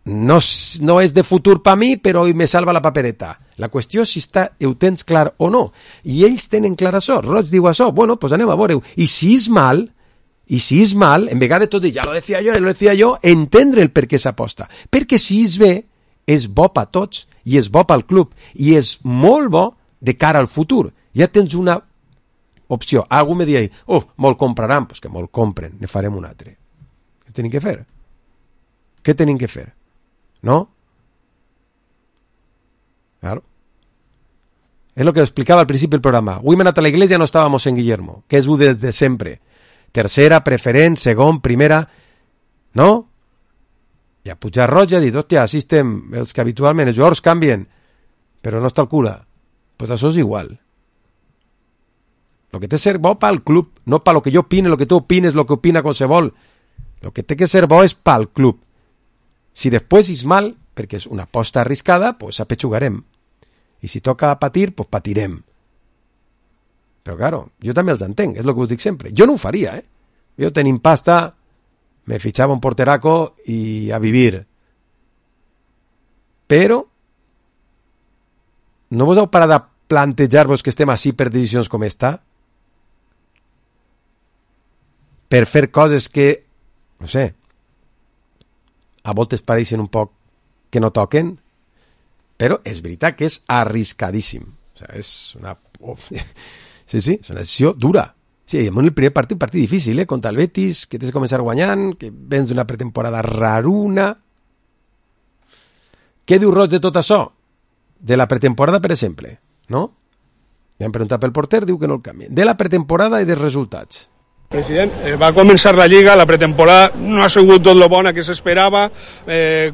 no és de futur per mi, però me salva la papereta. La qüestió és si ho tens clar o no. I ells tenen clar això. Roig diu això. Bueno, pues anem a veure-ho. I si és mal, en vegada de tot dir, ja lo decía yo, entendre el per què s'aposta. Perquè si és bé, és bo per tots, i és bo pel club, i és molt bo de cara al futur. Ja tens una opció. Algú me diu, me'l compraran. Pues que me'l compren, ne farem un altre. Què tenim que fer? Què tenim que fer? ¿No? Claro. Es lo que explicaba al principio del programa. Avui hem anat a la iglesia, no estábamos en Guillermo, que és desde sempre. Tercera, preferent, segon, primera, no? I a Pujar Roig ha dit, hòstia, així estem, els que habitualment, els jugadors canvien, però no està el cura. Pues això és igual. Lo que té que ser bo pel club, no per lo que jo opine, lo que tu opines, lo que opina qualsevol. Lo que té que ser bo és pel club. Si després és mal, perquè és una aposta arriscada, pues apetxugarem. I si toca patir, pues patirem. Però claro, jo també els entenc, és el que us dic sempre. Jo no ho faria, Jo tenim pasta, me fichava un porteraco i a vivir. Però no vos heu parat de plantejar-vos que estem així per decisions com esta? Per fer coses que, no sé, a voltes pareixen un poc que no toquen, però és veritat que és arriscadíssim. O sigui, és una... Sí, és una decisió dura. Sí, en el primer partit, un partit difícil, contra el Betis, que tens que començar guanyant, que vens d'una pretemporada raruna. Què diu Roig de tot això? De la pretemporada, per exemple, no? Li han preguntat pel porter, diu que no el canvien. De la pretemporada i dels resultats. President, va començar la Lliga, la pretemporada no ha sigut tot lo bona que s'esperava.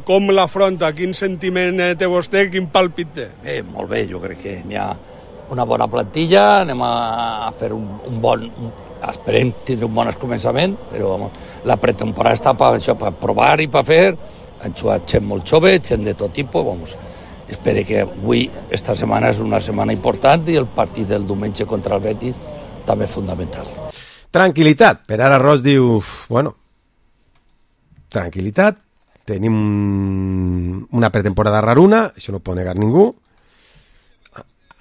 Com l'afronta? Quin sentiment té vostè? Quin pàlpit té? Molt bé, jo crec que hi ha una bona plantilla, anem a fer un bon... Esperem tindre un bon començament, però la pretemporada està per això, per provar i per fer. Han jugat gent molt jove, gent de tot tipus. Espero que avui, esta setmana, és una setmana important i el partit del diumenge contra el Betis també és fundamental. Tranquilitat. Per ara Ross diu, bueno, tranquilitat, tenim una pretemporada raruna, això no ho pot negar ningú.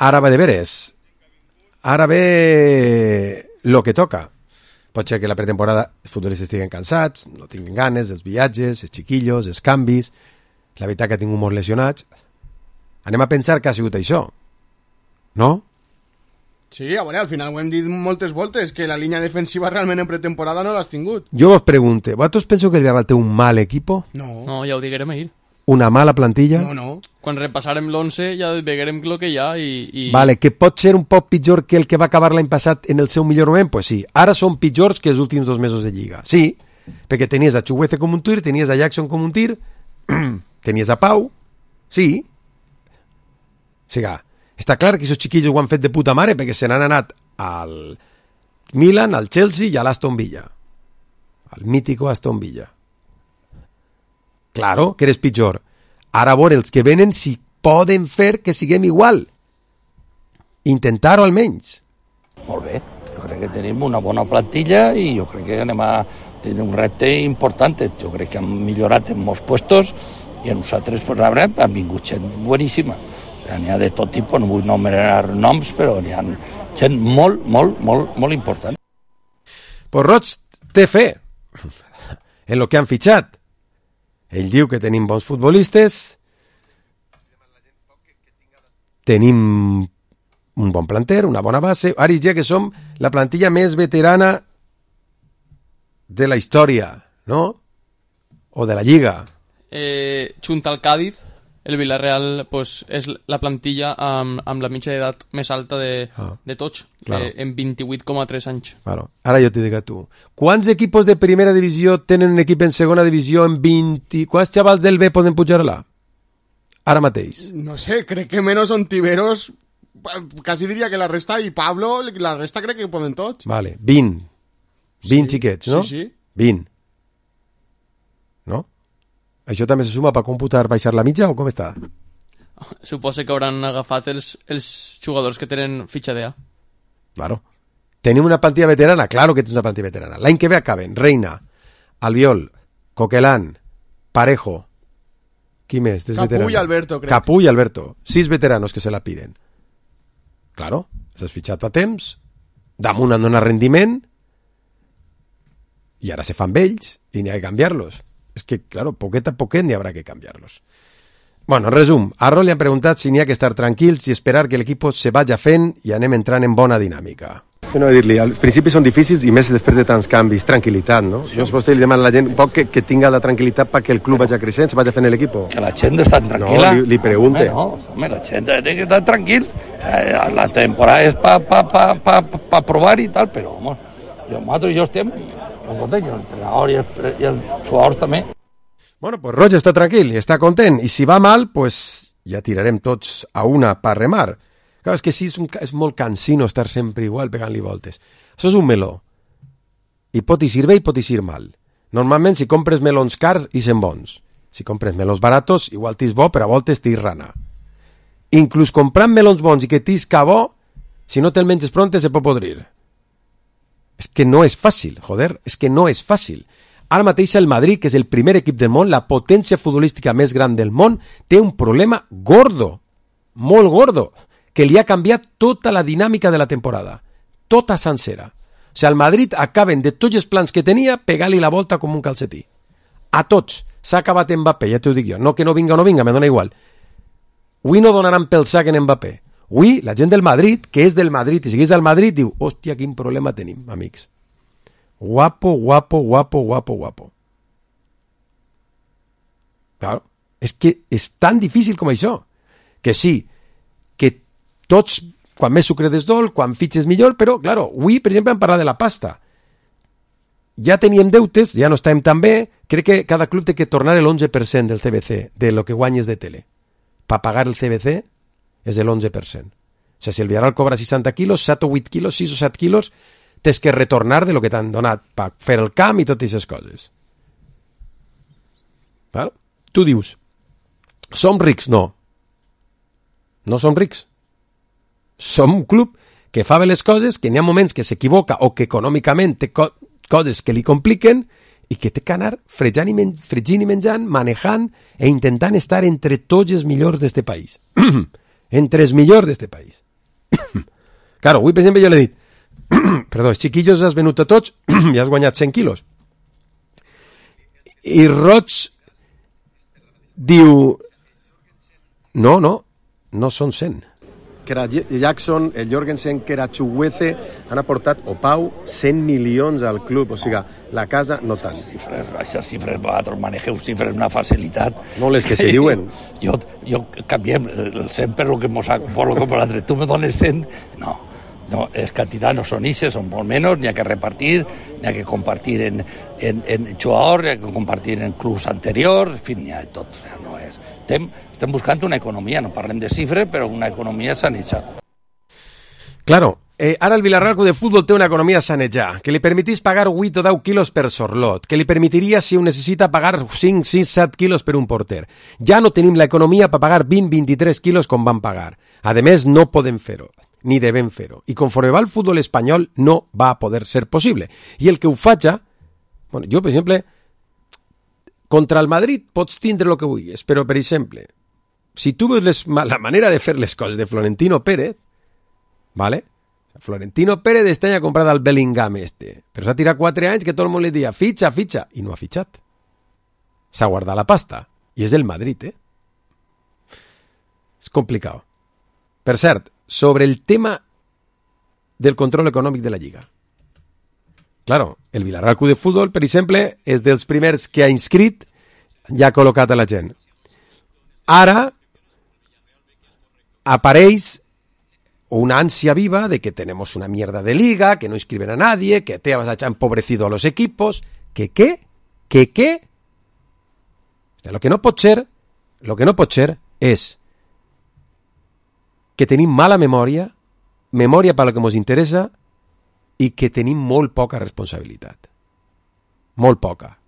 Ara va de veres. Ara ve lo que toca. Pot ser que la pretemporada els futbolistes estiguen cansats, no tinguin ganes, els viatges, els xiquillos, els canvis, la veritat que ha tingut molts lesionats. Anem a pensar que ha sigut això, no? Sí, a veure, al final ho hem dit moltes voltes, que la línia defensiva realment en pretemporada no l'has tingut. Jo vos pregunto, vosaltres penseu que el Villarreal té un mal equipo? No, ja ho diguerem ahir. Una mala plantilla? No. Quan repassarem l'11 ja veurem el que hi ha i... Vale, que pot ser un poc pitjor que el que va acabar l'any passat en el seu millor moment? Pues sí, ara són pitjors que els últims 2 mesos de Lliga. Sí, perquè tenies a Chuguece com un tir, tenies a Jackson com un tir, tenies a Pau, sí. O sigui, està clar que aquests xiquillos ho han fet de puta mare perquè se n'han anat al Milan, al Chelsea i a l'Aston Villa. Al mítico Aston Villa. Claro, que eres pitjor. Ara a veure els que venen si poden fer que siguem igual. Intentar-ho almenys. Molt bé, jo crec que tenim una bona plantilla i jo crec que anem a tenir un repte important. Jo crec que hem millorat en molts puestos i a nosaltres pues, han vingut gent boníssima. N'hi ha de tot tipus, no vull nomenar noms, però n'hi ha gent molt important. Pues Roig té fe en lo que han fitxat. Ell diu que tenim bons futbolistes, tenim un bon planter, una bona base. Ara ja que som la plantilla més veterana de la història, no? O de la Lliga. Junt al Cádiz, el Villarreal pues, és la plantilla amb la mitja d'edat més alta de tots, claro. En 28,3 anys. Claro. Ara jo t'hi dic a tu. Quants equipos de primera divisió tenen un equip en segona divisió en 20... Quants xavals del B poden pujar a l'A? Ara mateix. No sé, crec que menos Ontiveros, quasi diria que la resta, i Pablo, la resta crec que poden tots. Vale, 20. 20 xiquets, no? Sí. 20. No? Això també se suma per computar baixar la mitja o com està? Suposo que hauran agafat els jugadors que tenen fitxa d'A. Claro. Tenim una plantilla veterana? Claro que tens una plantilla veterana. L'any que ve acaben Reina, Albiol, Coquelán, Parejo, qui més? Capú i Alberto, crec. Capú i Alberto. 6 veteranos que se la piden. Claro, s'has fitxat fa temps, damunt han donat rendiment, i ara se fan vells i n'hi ha que canviar-los. És que, claro, poquet a poquet n'hi haurà que canviar-los. Bueno, en resum, a Rol li han preguntat si n'hi ha que estar tranquils i esperar que l'equip se vaya fent i anem entrant en bona dinàmica. No, dir-li, als principis són difícils i més després de tants canvis, tranquil·litat, no? Sí. Llavors vostè li demana a la gent un poc que tinga la tranquil·litat perquè el club vagi creixent, se vagi fent l'equip. Que la gent està tranquil·la. No, li pregunte. Home, la gent té que estar tranquil. La temporada és pa provar i tal, però, home, jo estem... l'entrenador i el jugador també. Bueno, pues Roig està tranquil i està content, i si va mal, pues ja tirarem tots a una per remar. Clar, és que sí, és molt cansino estar sempre igual pegant-li voltes. Això és un meló. I pot eixir bé i pot eixir mal. Normalment, si compres melons cars, ixen bons. Si compres melons baratos, igual t'ix bo, però a voltes t'ix rana. Inclús comprant melons bons i que t'ixca bo, si no te'l menges pronte, se pot podrir. És que no és fàcil, joder, és que no és fàcil. Ara mateix el Madrid, que és el primer equip del món, la potència futbolística més gran del món, té un problema gordo, molt gordo, que li ha canviat tota la dinàmica de la temporada, tota sencera. O sigui, el Madrid acaben de tots els plans que tenia pegar-li la volta com un calcetí. A tots. S'ha acabat Mbappé, ja t'ho dic jo. No que no vinga o no vinga, me dona igual. Avui no donaran pel sac en Mbappé. Avui, la gent del Madrid, que és del Madrid i segueix al Madrid, diu, hòstia, quin problema tenim, amics. Guapo. Claro, és que és tan difícil com això, que sí, que tots quan més sucre des d'ol, quan fitxes millor, però, claro, avui, per exemple, hem parlat de la pasta. Ja teníem deutes, ja no estàvem tan bé, crec que cada club té que tornar el 11% del CBC, de lo que guanyes de tele. Per pagar el CBC és el 11%. O sigui, si el Villarreal cobra 60 quilos, 7 o 8 quilos, 6 o 7 quilos, tens que retornar de lo que t'han donat per fer el camp i totes aquestes coses. Claro? Tu dius, som rics? No. No som rics. Som un club que fa bé les coses, que n'hi ha moments que s'equivoca o que econòmicament té coses que li compliquen i que té que anar fregint i menjant, manejant e intentant estar entre tots els millors d'este país. Entre els millors d'este país. Claro, avui, per exemple, jo l'he dit, perdó, els xiquillos has venut a tots i has guanyat 100 quilos. I Roig diu, no són 100. Que era Jackson, el Jorgensen, que era Chukwueze, han aportat, o Pau, 100 milions al club, o sigui, la casa no tant. Aquestes xifres, vosaltres manegeu xifres una facilitat. No les que se diuen. Jo canviem el 100 per lo que mos ha l'altre. Tu me dones 100, no, les quantitats no són ixes, són molt menys, n'hi ha que repartir, n'hi ha que compartir en jugadors, n'hi ha que compartir en clubs anteriors, en fi, n'hi ha de tot. O sigui, no és... Estem buscant una economia, no parlem de xifres, però una economia sanejada. Claro, ara el Villarreal Club de Fútbol té una economia sanejada, que li permetís pagar 8 o 10 quilos per sorlot, que li permitiria, si ho necessita, pagar 5, 6, 7 quilos per un porter. Ja no tenim l'economia per pagar 20, 23 quilos com van pagar. A més, no podem fer-ho, ni devem fer-ho. I conforme va el futbol espanyol, no va poder ser possible. I el que ho faci, bueno, jo, per exemple, contra el Madrid pots tindre el que vulguis, però, per exemple, si tu veus la manera de fer les coses de Florentino Pérez, ¿vale? Florentino Pérez este any ha comprat el Bellingham però s'ha tirat 4 anys que tot el món li dia fitxa, i no ha fitxat. S'ha guardat la pasta, i és del Madrid, És complicat. Per cert, sobre el tema del control econòmic de la Lliga. Claro, el Villarreal Club de Fútbol, per exemple, és dels primers que ha inscrit i ha col·locat a la gent. Ara apareix una ansia viva de que tenemos una mierda de liga, que no inscriben a nadie, que te has empobrecido a los equipos, que ¿qué? O sea, lo que no pot ser és que tenim mala memòria per lo que ens interessa i que tenim molt poca responsabilitat. Molt poca.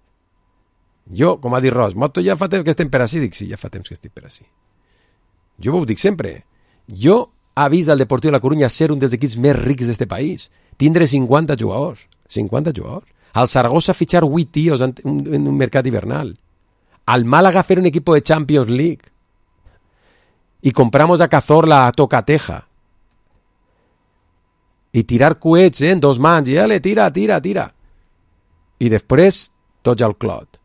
Jo, com ha dit Ros, Moto, ja fa temps que estem per ací. Dic, sí, ja fa temps que estic per ací. Jo ho dic sempre. Jo ha vist el Deportiu de la Corunya ser un dels equips més rics d'este país. Tindre 50 jugadors. 50 jugadors. Al Zaragoza fichar 8 tios en un mercat hivernal. Al Málaga fer un equipo de Champions League. Y compramos a Cazorla a Tocateja. I tirar coets en 2 mans. I ale, tira. I després, tots al clot.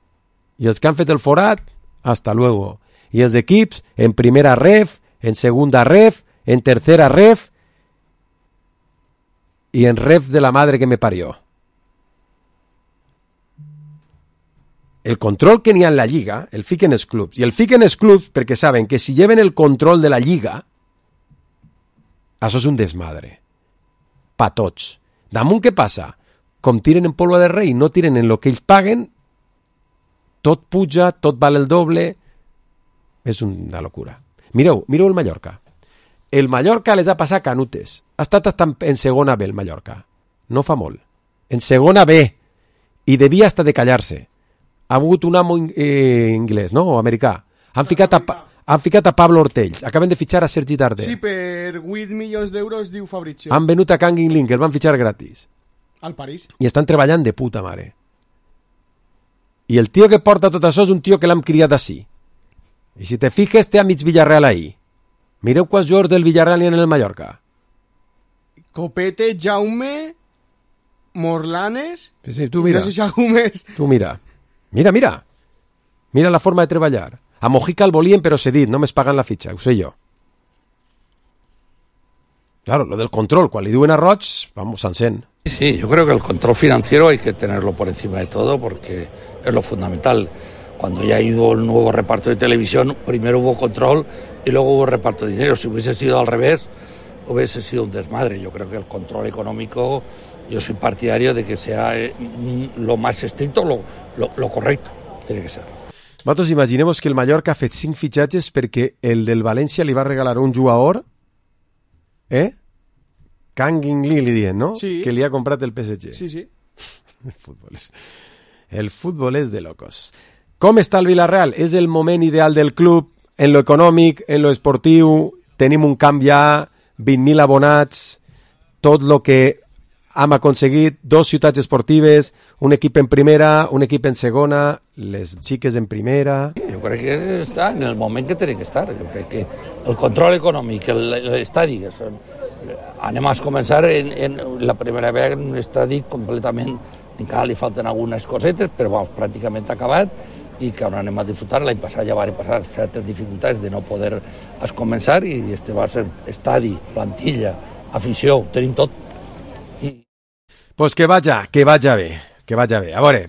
I els que han fet el forat, hasta luego. I els equips, en primera ref, en segunda ref, en tercera ref y en ref de la madre que me parió. El control que n'hi ha en la Lliga el fiquen els clubs. I el fiquen els clubs perquè saben que si lleven el control de la Lliga, això és un desmadre. Pa tots. Damunt què passa? Com tiren en polvo de rei, no tiren en lo que ells paguen, tot puja, tot val el doble. És una locura. Mireu el Mallorca. El Mallorca les ha passat canutes. Ha estat en segona B el Mallorca. No fa molt. En segona B. I devia estar de callar-se. Ha hagut un amo inglès, no? O americà. Han ficat a Pablo Ortells. Acaben de fitxar a Sergi Darder. Sí, per 8 milions d'euros, diu Fabrizio. Han venut a Kangin Link, el van fitxar gratis. Al París. I estan treballant de puta mare. I el tio que porta tot això és un tio que l'hem criat així. I si te fijes, té a mig Villarreal ahí. Mireu quants jugadors del Villarreal hi ha en el Mallorca. Copete, Jaume, Morlanes... Sí, tu mira. No sé si algú més. Tu mira. Mira la forma de treballar. A Mojica el volien però cedit, només pagant la fitxa, ho sé jo. Claro, lo del control, quan li diuen a Roig, vamos, s'encén. Sí, yo creo que el control financiero hay que tenerlo por encima de todo porque es lo fundamental. Cuando ya ha ido el nuevo reparto de televisión, primero hubo control y luego hubo reparto de dinero. Si hubiese sido al revés, hubiese sido un desmadre. Yo creo que el control económico, yo soy partidario de que sea lo más estricto, lo correcto, tiene que ser. Nosaltres imaginem-vos que el Mallorca ha fet 5 fitxatges perquè el del València li va regalar un jugador, Kangin Lee li diuen, no? Sí. Que li ha comprat el PSG. Sí. El futbol és de locos. Com està el Villarreal? És el moment ideal del club en lo econòmic, en lo esportiu, tenim un camp ja, 20.000 abonats, tot lo que hem aconseguit, 2 ciutats esportives, un equip en primera, un equip en segona, les xiques en primera... Jo crec que està en el moment que té que estar. Jo crec que el control econòmic, l'estadi, anem a començar en la primera vegada en un estadi completament, encara li falten algunes cosetes, però pràcticament acabat, i que ara anem a disfrutar. L'any passat ja van passar certes dificultats de no poder començar, i este va ser estadi, plantilla, afició, ho tenim tot. Pues que vaja bé. A veure,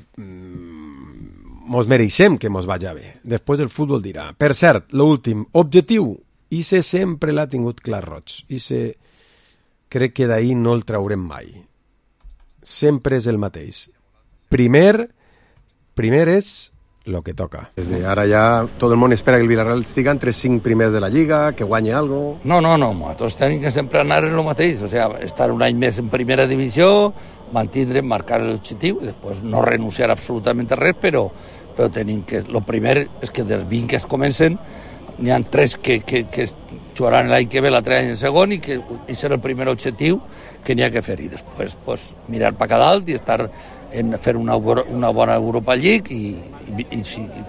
mos mereixem que mos vaja bé. Després el futbol dirà. Per cert, l'últim, objectiu. Ixe sempre l'ha tingut clar Roig. Ixe crec que d'ahir no el traurem mai. Sempre és el mateix. Primer és lo que toca. Desde ara ja tot el món espera que el Villarreal estigui entre 5 primers de la Lliga, que guanyi algo. No, nosaltres tenim que sempre anar en el mateix, o sea, estar un any més en primera divisió, mantindre, marcar l'objectiu, i després no renunciar absolutament a res, però tenim que... El primer és que dels 20 que es comencen, n'hi ha 3 que jugaran l'any que ve, l'altre any en segon, i que serà el primer objectiu que n'hi ha que fer, i després mirar per cada dalt i estar en fer una bona Europa League,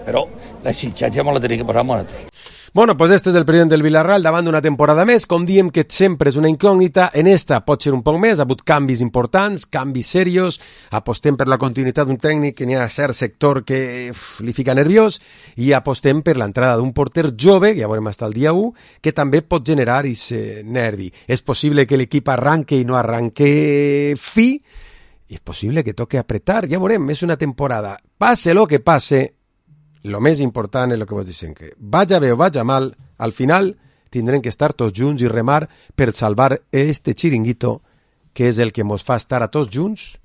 però l'exigència me la tenim que posar amb nosaltres. Bueno, pues este és el president del Villarreal davant d'una temporada més. Com diem que sempre és una incògnita, en esta pot ser un poc més, ha hagut canvis importants, canvis serios, apostem per la continuïtat d'un tècnic que n'hi ha cert sector que li fica nerviós, i apostem per l'entrada d'un porter jove, que ja veurem fins al dia 1, que també pot generar aquest nervi. És possible que l'equip arranque i no arranque fi, i és possible que toque apretar, ja veurem, és una temporada. Passe lo que passe, lo més important és el que vos dicen, que vaja bé o vaja mal, al final tindrem que estar tots junts i remar per salvar este xiringuito, que és el que mos fa estar a tots junts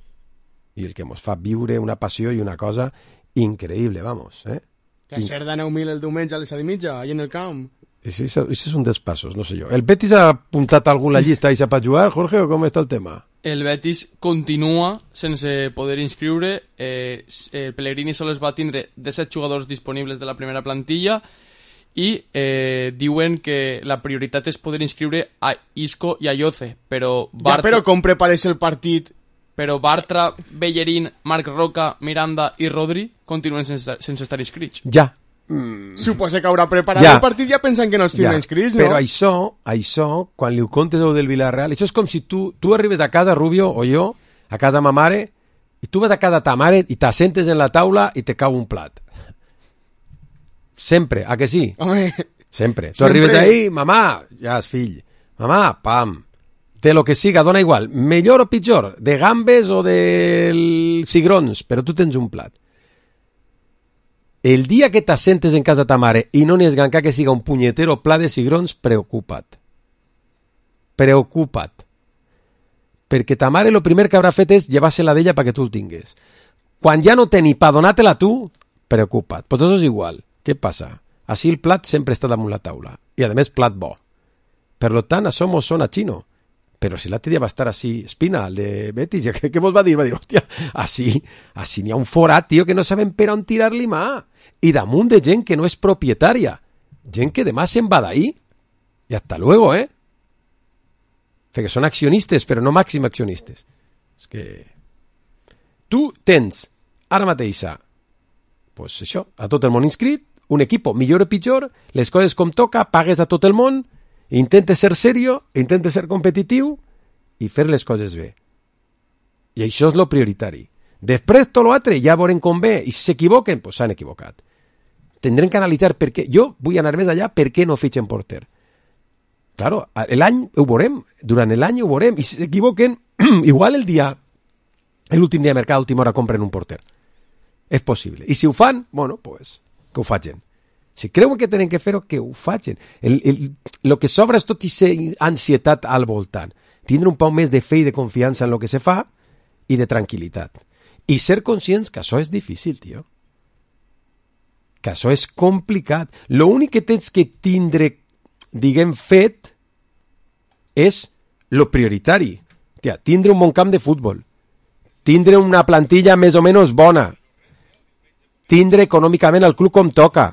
i el que mos fa viure una passió i una cosa increïble, vamos. Que ser de 9.000 el diumenge a les 7:30, allà en el camp. Això és un dels passos, no sé jo. El Betis ha apuntat algú a la llista i per jugar, Jorge, o com està el tema? El Betis continua sense poder inscriure. El Pellegrini sols va tindre 17 jugadors disponibles de la primera plantilla i diuen que la prioritat és poder inscriure a Isco i a Yoce, però però com prepares el partit? Però Bartra, Bellerín, Marc Roca, Miranda i Rodri continuen sense estar inscrits. Ja. Suposa que haurà preparat el partit ja pensant que no els tindrà inscrits, no? Però això, quan li ho contes del Villarreal, això és com si tu arribes a casa, Rubio, o jo, a casa ma mare, i tu vas a casa ta mare i t'assentes en la taula i te cau un plat. Sempre, a que sí? Home, sempre. Tu arribes ahí, mamà, ja és fill. Mamà, pam. De lo que siga, dona igual. Millor o pitjor, de gambes o de cigrons, però tu tens un plat. El dia que t'assentes en casa ta mare i no n'hi és gancar que siga un punyetero pla de cigrons, preocupa't. Preocupa't. Perquè ta mare el primer que haurà fet és llevar-se-la d'ella perquè tu el tingues. Quan ja no té ni pa donar-te-la tu, preocupa't. Pues això és igual. Què passa? Així el plat sempre està damunt la taula. I a més plat bo. Per tant, això mos sona xino. Però si l'altre dia va estar així, Espina, el de Betis, què vos va dir? Va dir, hòstia, així n'hi ha un forat, tio, que no sabem per on tirar-li mà. I damunt de gent que no és propietària. Gent que demà se'n va d'ahí. I hasta luego, Perquè són accionistes, però no màxim accionistes. És que... Tu tens, ara mateixa, pues això, a tot el món inscrit, un equip millor o pitjor, les coses com toca, pagues a tot el món, intentes ser serio, intentes ser competitiu i fer les coses bé. I això és lo prioritari. Després tot l'altre ja veurem com ve, i si s'equivoquen, doncs s'han equivocat. Tindrem que analitzar per què. Jo vull anar més allà, per què no fitxen porter. Claro, l'any ho veurem, durant l'any ho veurem, i si s'equivoquen, igual l'últim dia de mercat, a última hora compren un porter. És possible. I si ho fan, bueno, pues, que ho facin. Si creuen que tenen que fer-ho, que ho facin. El que sobra és tot aquesta ansietat al voltant. Tindre un poc més de fe i de confiança en el que se fa i de tranquil·litat. I ser conscients que això és difícil, tio. Que això és complicat. L'únic que tens que tindre, diguem, fet és lo prioritari. Tia, tindre un bon camp de futbol. Tindre una plantilla més o menys bona. Tindre econòmicament el club com toca.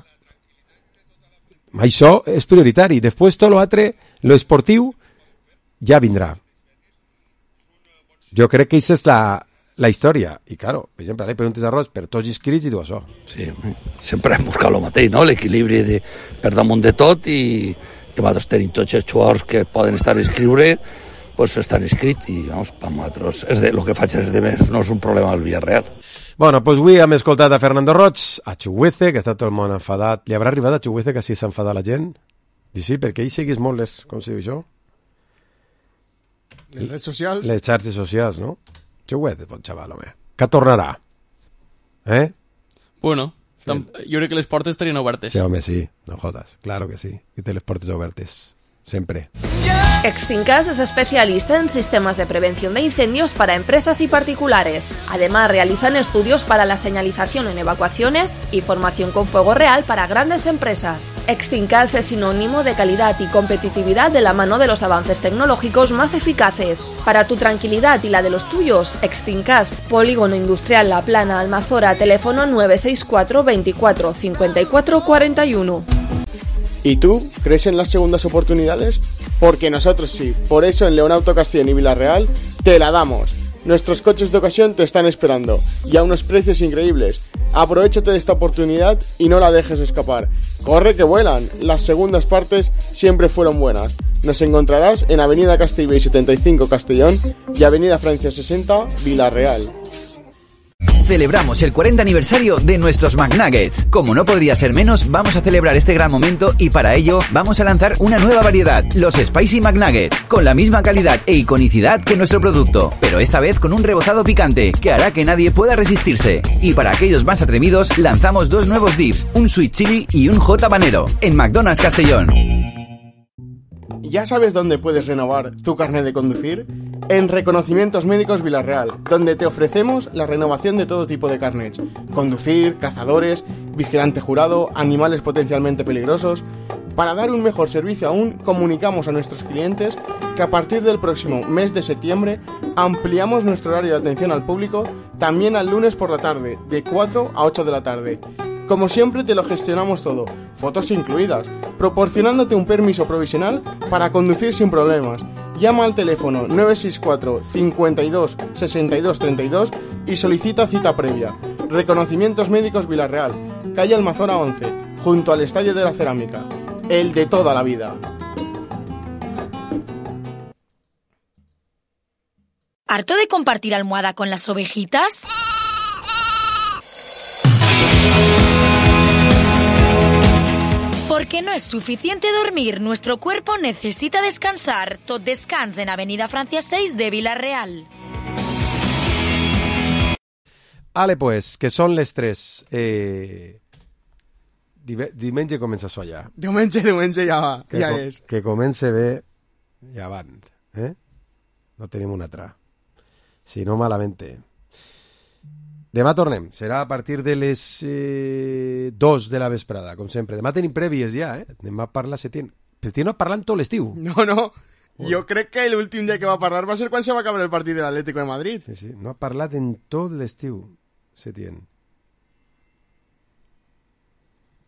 Això és prioritari. Després tot l'altre, lo esportiu, ja vindrà. Jo crec que aquesta és la història. I, claro, per exemple, ara preguntes a Roig per tots els crits i diu això. Sí, sempre hem buscat el mateix, no? L'equilibri per damunt de tot i nosaltres tenim tots els jugadors que poden estar a inscriure, doncs estan inscrits i, vamos, per nosaltres, el que faig és de més, no és un problema del Villarreal. Bueno, doncs avui hem escoltat a Fernando Roig, a Chuguece, que està tot el món enfadat. Li haurà arribat a Chuguece que si s'enfada la gent? Dic sí, perquè ell seguís molt com se diu això? Les redes socials. Les xarxes socials, no? Chuguece, bon xaval, home. Que tornarà. Bueno, jo crec que les portes estarien obertes. Sí, home, sí, no jodas. Claro que sí, que té les portes obertes. Siempre. Extincas es especialista en sistemas de prevención de incendios para empresas y particulares. Además, realizan estudios para la señalización en evacuaciones y formación con fuego real para grandes empresas. Extincas es sinónimo de calidad y competitividad de la mano de los avances tecnológicos más eficaces. Para tu tranquilidad y la de los tuyos, Extincas, Polígono Industrial La Plana, Almazora, teléfono 964 24 54 41. ¿Y tú crees en las segundas oportunidades? Porque nosotros sí. Por eso en León Auto Castellón y Villarreal te la damos. Nuestros coches de ocasión te están esperando y a unos precios increíbles. Aprovechate de esta oportunidad y no la dejes escapar. Corre que vuelan. Las segundas partes siempre fueron buenas. Nos encontrarás en Avenida Castellbell 75 Castellón y Avenida Francia 60 Villarreal. Celebramos el 40 aniversario de nuestros McNuggets. Como no podría ser menos, vamos a celebrar este gran momento y para ello vamos a lanzar una nueva variedad, los Spicy McNuggets, con la misma calidad e iconicidad que nuestro producto, pero esta vez con un rebozado picante que hará que nadie pueda resistirse. Y para aquellos más atrevidos, lanzamos dos nuevos dips, un Sweet Chili y un Hot Habanero, en McDonald's Castellón. ¿Ya sabes dónde puedes renovar tu carnet de conducir? En Reconocimientos Médicos Villarreal, donde te ofrecemos la renovación de todo tipo de carnets. Conducir, cazadores, vigilante jurado, animales potencialmente peligrosos. Para dar un mejor servicio aún, comunicamos a nuestros clientes que a partir del próximo mes de septiembre ampliamos nuestro horario de atención al público también al lunes por la tarde, de 4 a 8 de la tarde. Como siempre te lo gestionamos todo, fotos incluidas, proporcionándote un permiso provisional para conducir sin problemas. Llama al teléfono 964 52 62 32 y solicita cita previa. Reconocimientos Médicos Villarreal, calle Almazora 11, junto al Estadio de la Cerámica. El de toda la vida. ¿Harto de compartir almohada con las ovejitas? Porque no es suficiente dormir, nuestro cuerpo necesita descansar. Tot descans en Avenida Francia 6 de Villarreal. Ale, pues, que són les 3. Diumenge comença això ja. Diumenge ja va, ja és. Que comence bé i avant. No tenim una altra. Si no, malamente. Demà tornem. Serà a partir de les 2 de la vesprada, com sempre. Demà tenim prèvies ja, Demà parla Setién. Setién no parlant tot l'estiu. No. Jo crec que l'últim dia que va parlar va ser quan se va acabar el partit de l'Atlético de Madrid. Sí. No ha parlat en tot l'estiu, Setién.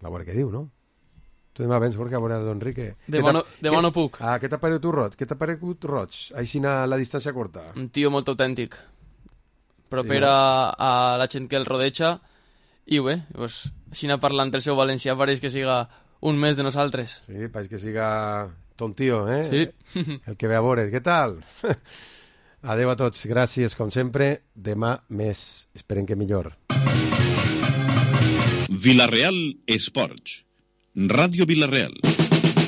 A veure què diu, no? Tu demà vens, Jorge, a veure Don Enrique. Demà no puc. Què t'ha paregut tu, Roig? Què t'ha paregut Roig? Així a la distància curta. Un tio molt autèntic. Proper a la gent que el rodeja i bé, pues, així parlant el seu valencià pareix que siga un mes de nosaltres. Sí, pareix que siga ton tio, Sí. El que ve a veure. Què tal? Adeu a tots, gràcies com sempre. Demà més, esperem que millor. Villarreal Esports. Ràdio Villarreal.